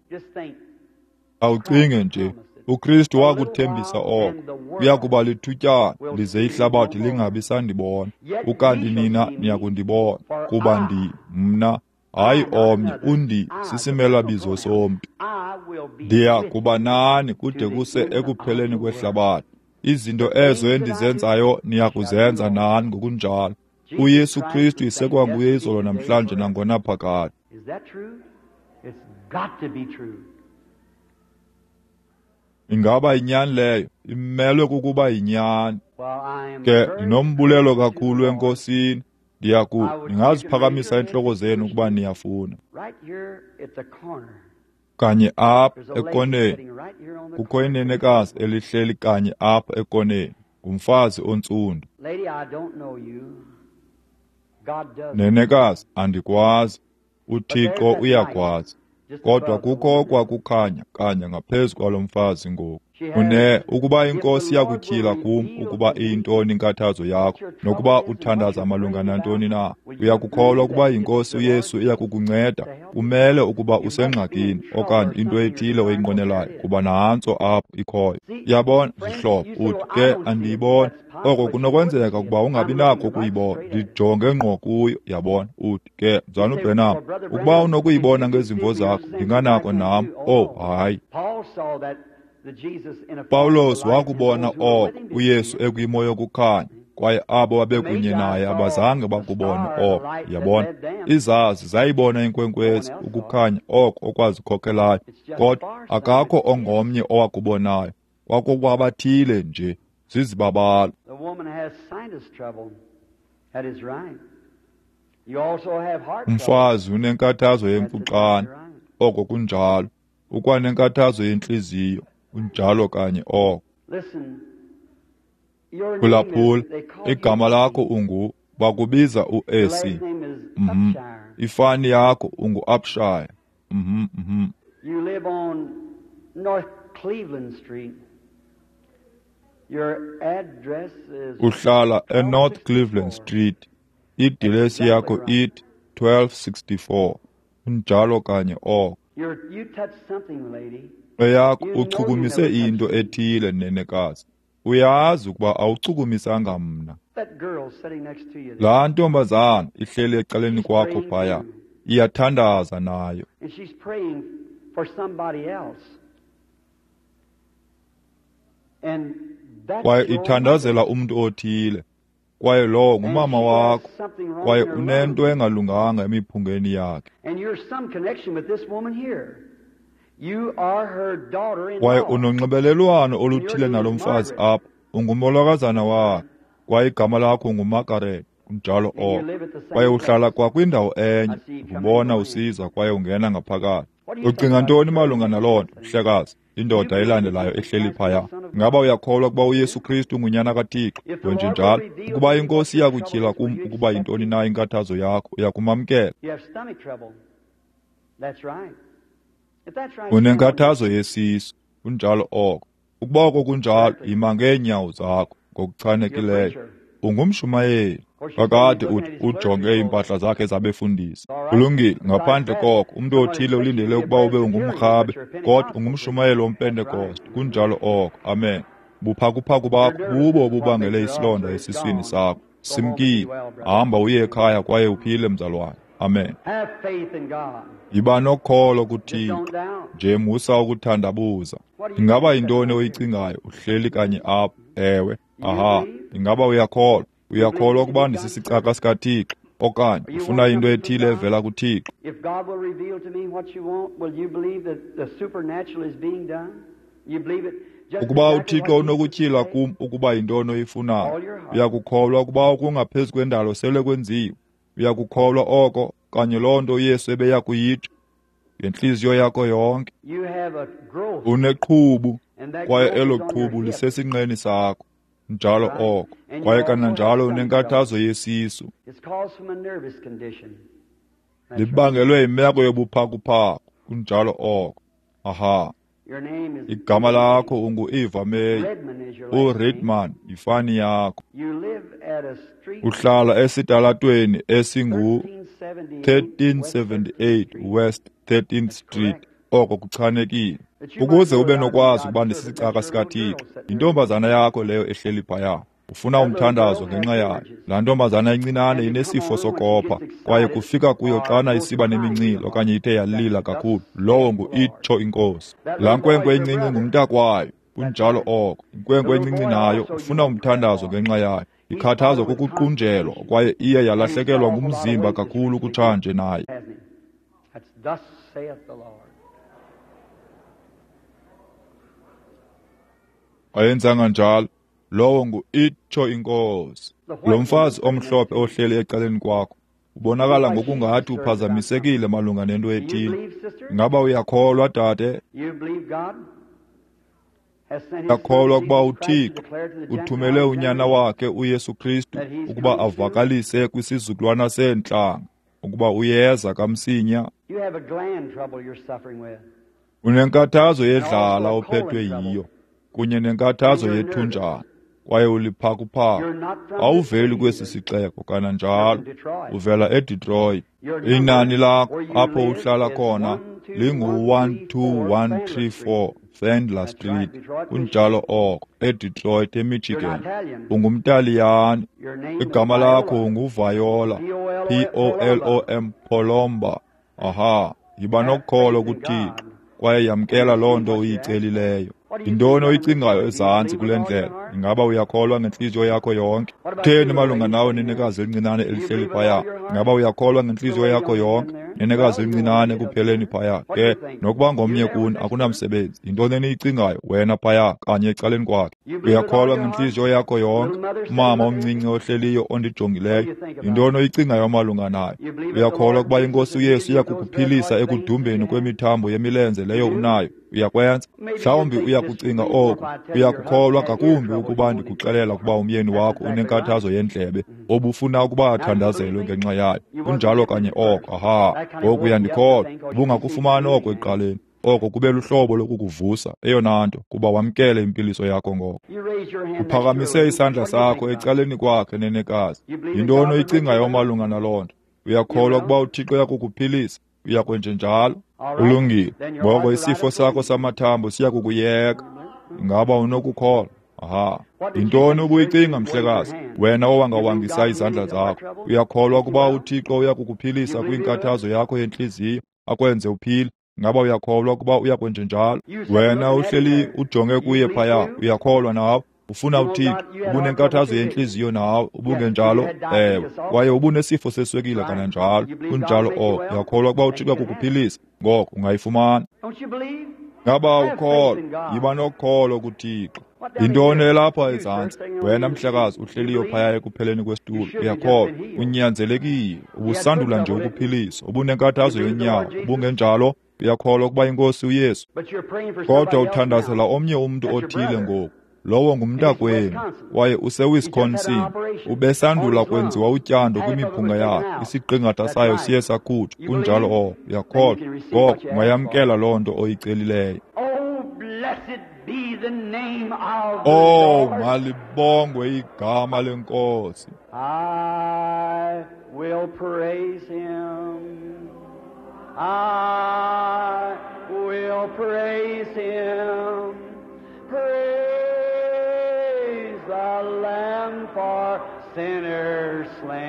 Awucinge nje, uKristu wakuthembisa oko, kuya kuba lithutyana lize ihlabathi lingabi sandibona, ukanti nina niyakundibona, kuba ndi mna, hayi omnye, undi sisimelabizo somntu. Ndiya kuba nani kude kuse ekupheleni kwehlabathi. Izinto ezo endizenzayo niyakuzenza nani ngokunjalo. uYesu Kristu isekwanguye izolo namhlanje nangonaphakade. Ingaba yinyani leyo? Imelwe kukuba yinyani. Ke ndinombulelo kakhulu eNkosini. Ndiyaku ningaziphakamisa intloko zenu ukuba niyafuna. Kanye apha ekoneni kukho inenekazi elihleli kanye apha ekoneni, ngumfazi ontsundu. Nenekazi, andikwazi, uThixo uyakwazi. Kodwa kukho kwakukhanya kanye ngaphezu kwalo mfazi ngoku. Une ukuba iNkosi iyakutyhila kum ukuba iyintoni inkathazo yakho, nokuba uthandaza malunga nantoni na, uyakukholwa ukuba iNkosi uYesu iyakukunceda. Kumele ukuba usengxakini okanye into ethile oyinqwenelayo, kuba nantso apho ikhoyo. Yabona, zihlobo, uthi ke andiyiboni. Oko kunokwenzeka ukuba ungabi nakho ukuyibona. Ndijonge ngqo kuyo, yabona. Uthi ke, Mzalwana uBrenham, ukuba unokuyibona ngezimvo zakho, ndinganako nam. Oh, hayi. Pawulos wakubona oko uYesu ekwimo yokukhanya, kwaye abo babekunye naye abazange bakubone oko. Yabona, izazi zayibona inkwenkwezi, ukukhanya oko okwazikhokelayo, kodwa akakho ongomnye owakubonayo. Kwakukwabathile nje, zizibabalo. Umfazi unenkathazo yemfuxane, oko kunjalo. Ukwanenkathazo yentliziyo, unjalo kanye oko. Phulaphula, igama lakho ungu bakubiza uEsi. Mhm. Ifani yakho ungu-Upshire. Mhm, mhm. You live on North Cleveland Street. Your address is Uhlala eNorth Cleveland Street. Idilesi yakho ithi twelve sixty-four. Unjalo kanye oko. You touched something, lady. Eyakho uchukumise into ethile, nenekazi. Uyazi ukuba awuchukumisanga mna. Laa ntombazana ihleli ecaleni kwakho phaya, iyathandaza nayo. Kwaye ithandazela umntu othile, kwaye lowo ngumama wakho, kwaye unento engalunganga emiphungeni yakhe. Kwaye unonxibelelwano oluthile nalo mfazi apha, ungumolokazana wakhe, kwaye igama lakho nguMargaret, kunjalo oko. Kwaye uhlala kwakwindawo enye, ubona usiza kwaye ungena ngaphakathi. Ucinga ntoni malunga naloo nto, mhlekazi? Indoda elandelayo ehleli phaya. Ngaba uyakholwa ukuba uYesu Kristu ngunyana kaThixo? Wenjenjalo, ukuba iNkosi iyakutyhila kum ukuba yintoni na inkathazo yakho, uyakumamkela. Unenkathazo yesisu, kunjalo oko. Ukuba oko kunjalo, yima ngeenyawo zakho ngokuchanekileyo. Ungumshumayeli. Kakade uthi ujonge iimpahla zakhe zabefundisi. Kulungile, ngaphandle koko, umntu othile ulindele ukuba ube ungumrhabe, kodwa ungumshumayeli womPentekoste. Kunjalo oko. Amen. Buphakuphaku bakho bubo obubangele isilonda esiswini sakho. Simkile. Hamba uye ekhaya kwaye uphile, mzalwane. Amen. Yiba nokholo kuThixo, nje musa ukuthandabuza. Ingaba yintoni oyicingayo uhleli kanye apha? Ewe. Aha. Ingaba uyakholwa? Uyakholwa ukuba ndisisicaka sikaThixo, okanye ufuna into ethile evela kuThixo? Ukuba uThixo unokutyhila kum ukuba yintoni oyifunayo, uyakukholwa ukuba okungaphezu kwendalo sele kwenziwe? Uyakukholwa oko kanye loo nto uYesu ebeya kuyitsho ngentliziyo yakho yonke? Uneqhubu, kwaye elo qhubu lisesinqeni sakho. Njalo oko. Kwaye kananjalo unenkathazo yesisu. Libangelwe yimeko yobuphakuphaku. Kunjalo oko. Aha. Igama lakho ungu-Eva May. URedman yifani yakho. Uhlala esitalatweni esingu thirteen seventy-eight West thirteenth Street. Oko kuchanekile. Ukuze ube nokwazi ukuba ndisisicaka sikaThixo, yintombazana yakho leyo ehleli phaya. Ufuna umthandazo ngenxa yayo. Laa ntombazana incinane inesifo sokopha, kwaye kufika kuyo xana isiba nemincili okanye ithe yalila kakhulu. Lowo ngu-itsho iNkosi. Laa nkwenkwe incinci ngumntakwayo. Kunjalo oko. Inkwenkwe encinci nayo ufuna umthandazo ngenxa yayo. Ikhathazwa kukuqunjelwa kwaye iye yalahlekelwa ngumzimba kakhulu kutshanje naye. Ayenzanga njalo. Lowo ngu-itsho iNkosi. Lo mfazi omhlophe ohleli ecaleni kwakho ubonakala ngokungathi uphazamisekile malunga nento ethile. Ingaba uyakholwa, dade? Uyakholwa ukuba uThixo uthumele unyana wakhe uYesu Kristu ukuba avakalise kwisizukulwana seentlanga ukuba uyeza kamsinya? Unenkathazo yedlala ophethwe yiyo, kunye nenkathazo yethunjana, kwaye uliphakuphaku. Awuveli kwesi sixeko, kananjalo uvela eDetroit. Inani lakho apho uhlala khona lingu one two one three four Fendler Street. Kunjalo oko, eDetroit, eMichigan. Ungumtaliyane. Igama lakho unguViola, P O L O M, Polomba. Aha, yiba nokholo kuThixo kwaye yamkela loo nto uyicelileyo. Yintoni oyicingayo ezantsi kule ndlela? Ingaba uyakholwa ngentliziyo yakho yonke? Kutheni malunga nawe, nenekazi elincinane elihleli phaya? Ingaba uyakholwa ngentliziyo yakho yonke? Nenekazi elincinane ekupheleni phaya. Ke, nokuba ngomnye kuni akunamsebenzi. Yintoni eniyicingayo wena phaya kanye ecaleni kwakhe? Uyakholwa ngentliziyo yakho yonke? Umama omncinci ohleliyo ondijongileyo, yintoni oyicingayo malunga nayo? Uyakholwa ukuba iNkosi uYesu iyakukuphilisa ekudumbeni kwemithambo yemilenze leyo unayo? Uyakwenza? Mhlawumbi uyakucinga oku. Uyakukholwa ngakumbi ukuba ndikuxelela ukuba umyeni wakho unenkathazo yendlebe obufuna ukuba athandazelwe ngenxa yayo. Kunjalo kanye oko. Aha, ngoku uyandikholwa. Ubungakufumani oko ekuqaleni. Oko kube luhlobo lokukuvusa, eyona nto, kuba wamkele impiliso yakho ngoko. Uphakamise isandla sakho ecaleni kwakhe, nenekazi. Yintoni oyicingayo malunga naloo nto? Uyakholwa ukuba uThixo uyakukuphilisa? Uyakwenjenjalo? Ulungile. Ngoko isifo sakho samathambo siyakukuyeka. Ingaba unokukholwa? Aha, yintoni ubuyicinga, mhlekazi, wena owangawangisa izandla zakho? Uyakholwa ukuba uThixo uya kukuphilisa kwinkathazo yakho yentliziyo, akwenze uphile? Ngaba uyakholwa ukuba uyakwenjenjalo? Wena uhleli ujonge kuye phaya, uyakholwa nawe? Ufuna uThixo, ubunenkathazo yentliziyo nawe, ubungenjalo? Ewe, kwaye ubunesifo seswekile kananjalo. Kunjalo oko. Uyakholwa ukuba uThixo kukuphilisa? Ngoko ungayifumana. Ngaba ukholwa? Yiba nokholo kuThixo. Yintoni elapha ezantsi? Wena mhlekazi uhleliyo phaya ekupheleni kwesitulo, uyakholwa? Unyanzelekile, ubusandula nje ukuphiliswa, ubunenkathazo yonyawo, ubungenjalo? Uyakholwa ukuba inkosi uYesu? Kodwa uthandazela omnye umntu othile ngoku. Lowo ngumntakwenu, kwaye useWisconsin. Ubesandula kwenziwa utyando kwimiphunga yakhe, isiqingatha sayo siye sakhutshwa. Kunjalo oko. Uyakholwa? Ngoko ungayamkela loo nto oyicelileyo. Oh, malibongwe igama leNkosi. I will praise him. I will praise him. Praise the Lamb for sinners slain.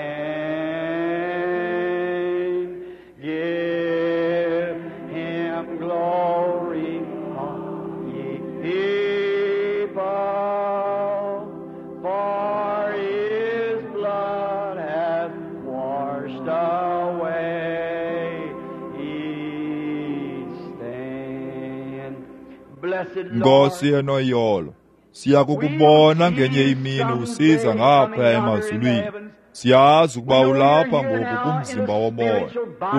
Give him glory, all ye people, for his blood hath washed away each stain. Blessed Nkosi Lord, enoyolo, siyakukubona ngenye imini usiza ngapha emazulwini. Siyazi ukuba ulapha ngoku kumzimba womoya,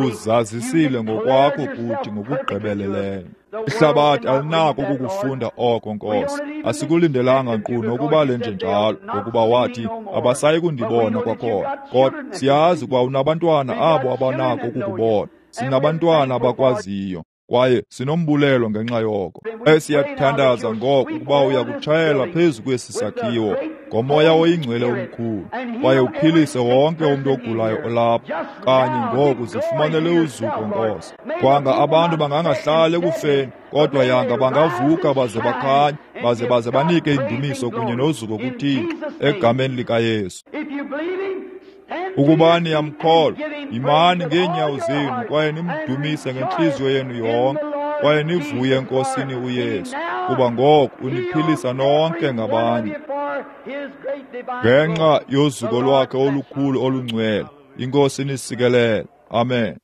uzazisile ngokwakho kuthi ngokugqibeleleyo. Ihlabathi alinako ukukufunda oko, Nkosi. Asikulindelanga nkqu nokuba lenjenjalo, ngokuba wathi abasayi kundibona kwakhona. Kodwa siyazi ukuba unabantwana abo abanako ukukubona. Sinabantwana abakwaziyo, kwaye sinombulelo ngenxa yoko. Esiyathandaza ngoko ukuba uyakutshayela phezu kwesi sakhiwo ngomoya oyingcwele omkhulu, kwaye uphilise wonke umntu ogulayo olapha. Kanye ngoku zifumanele uzuko, Nkosi. Kwanga abantu bangangahlali ekufeni, kodwa yanga bangavuka baze bakhanye, baze baze banike indumiso kunye nozuko kuThixo egameni likaYesu. Ukuba niyamkholwa, yimani ngeenyawo zenu kwaye nimdumise ngentliziyo yenu yonke, kwaye nivuye eNkosini uYesu, kuba ngoku uniphilisa nonke ngabanye. Ngenxa yozuko lwakhe olukhulu olungcwele, iNkosi inisikelele. Amen.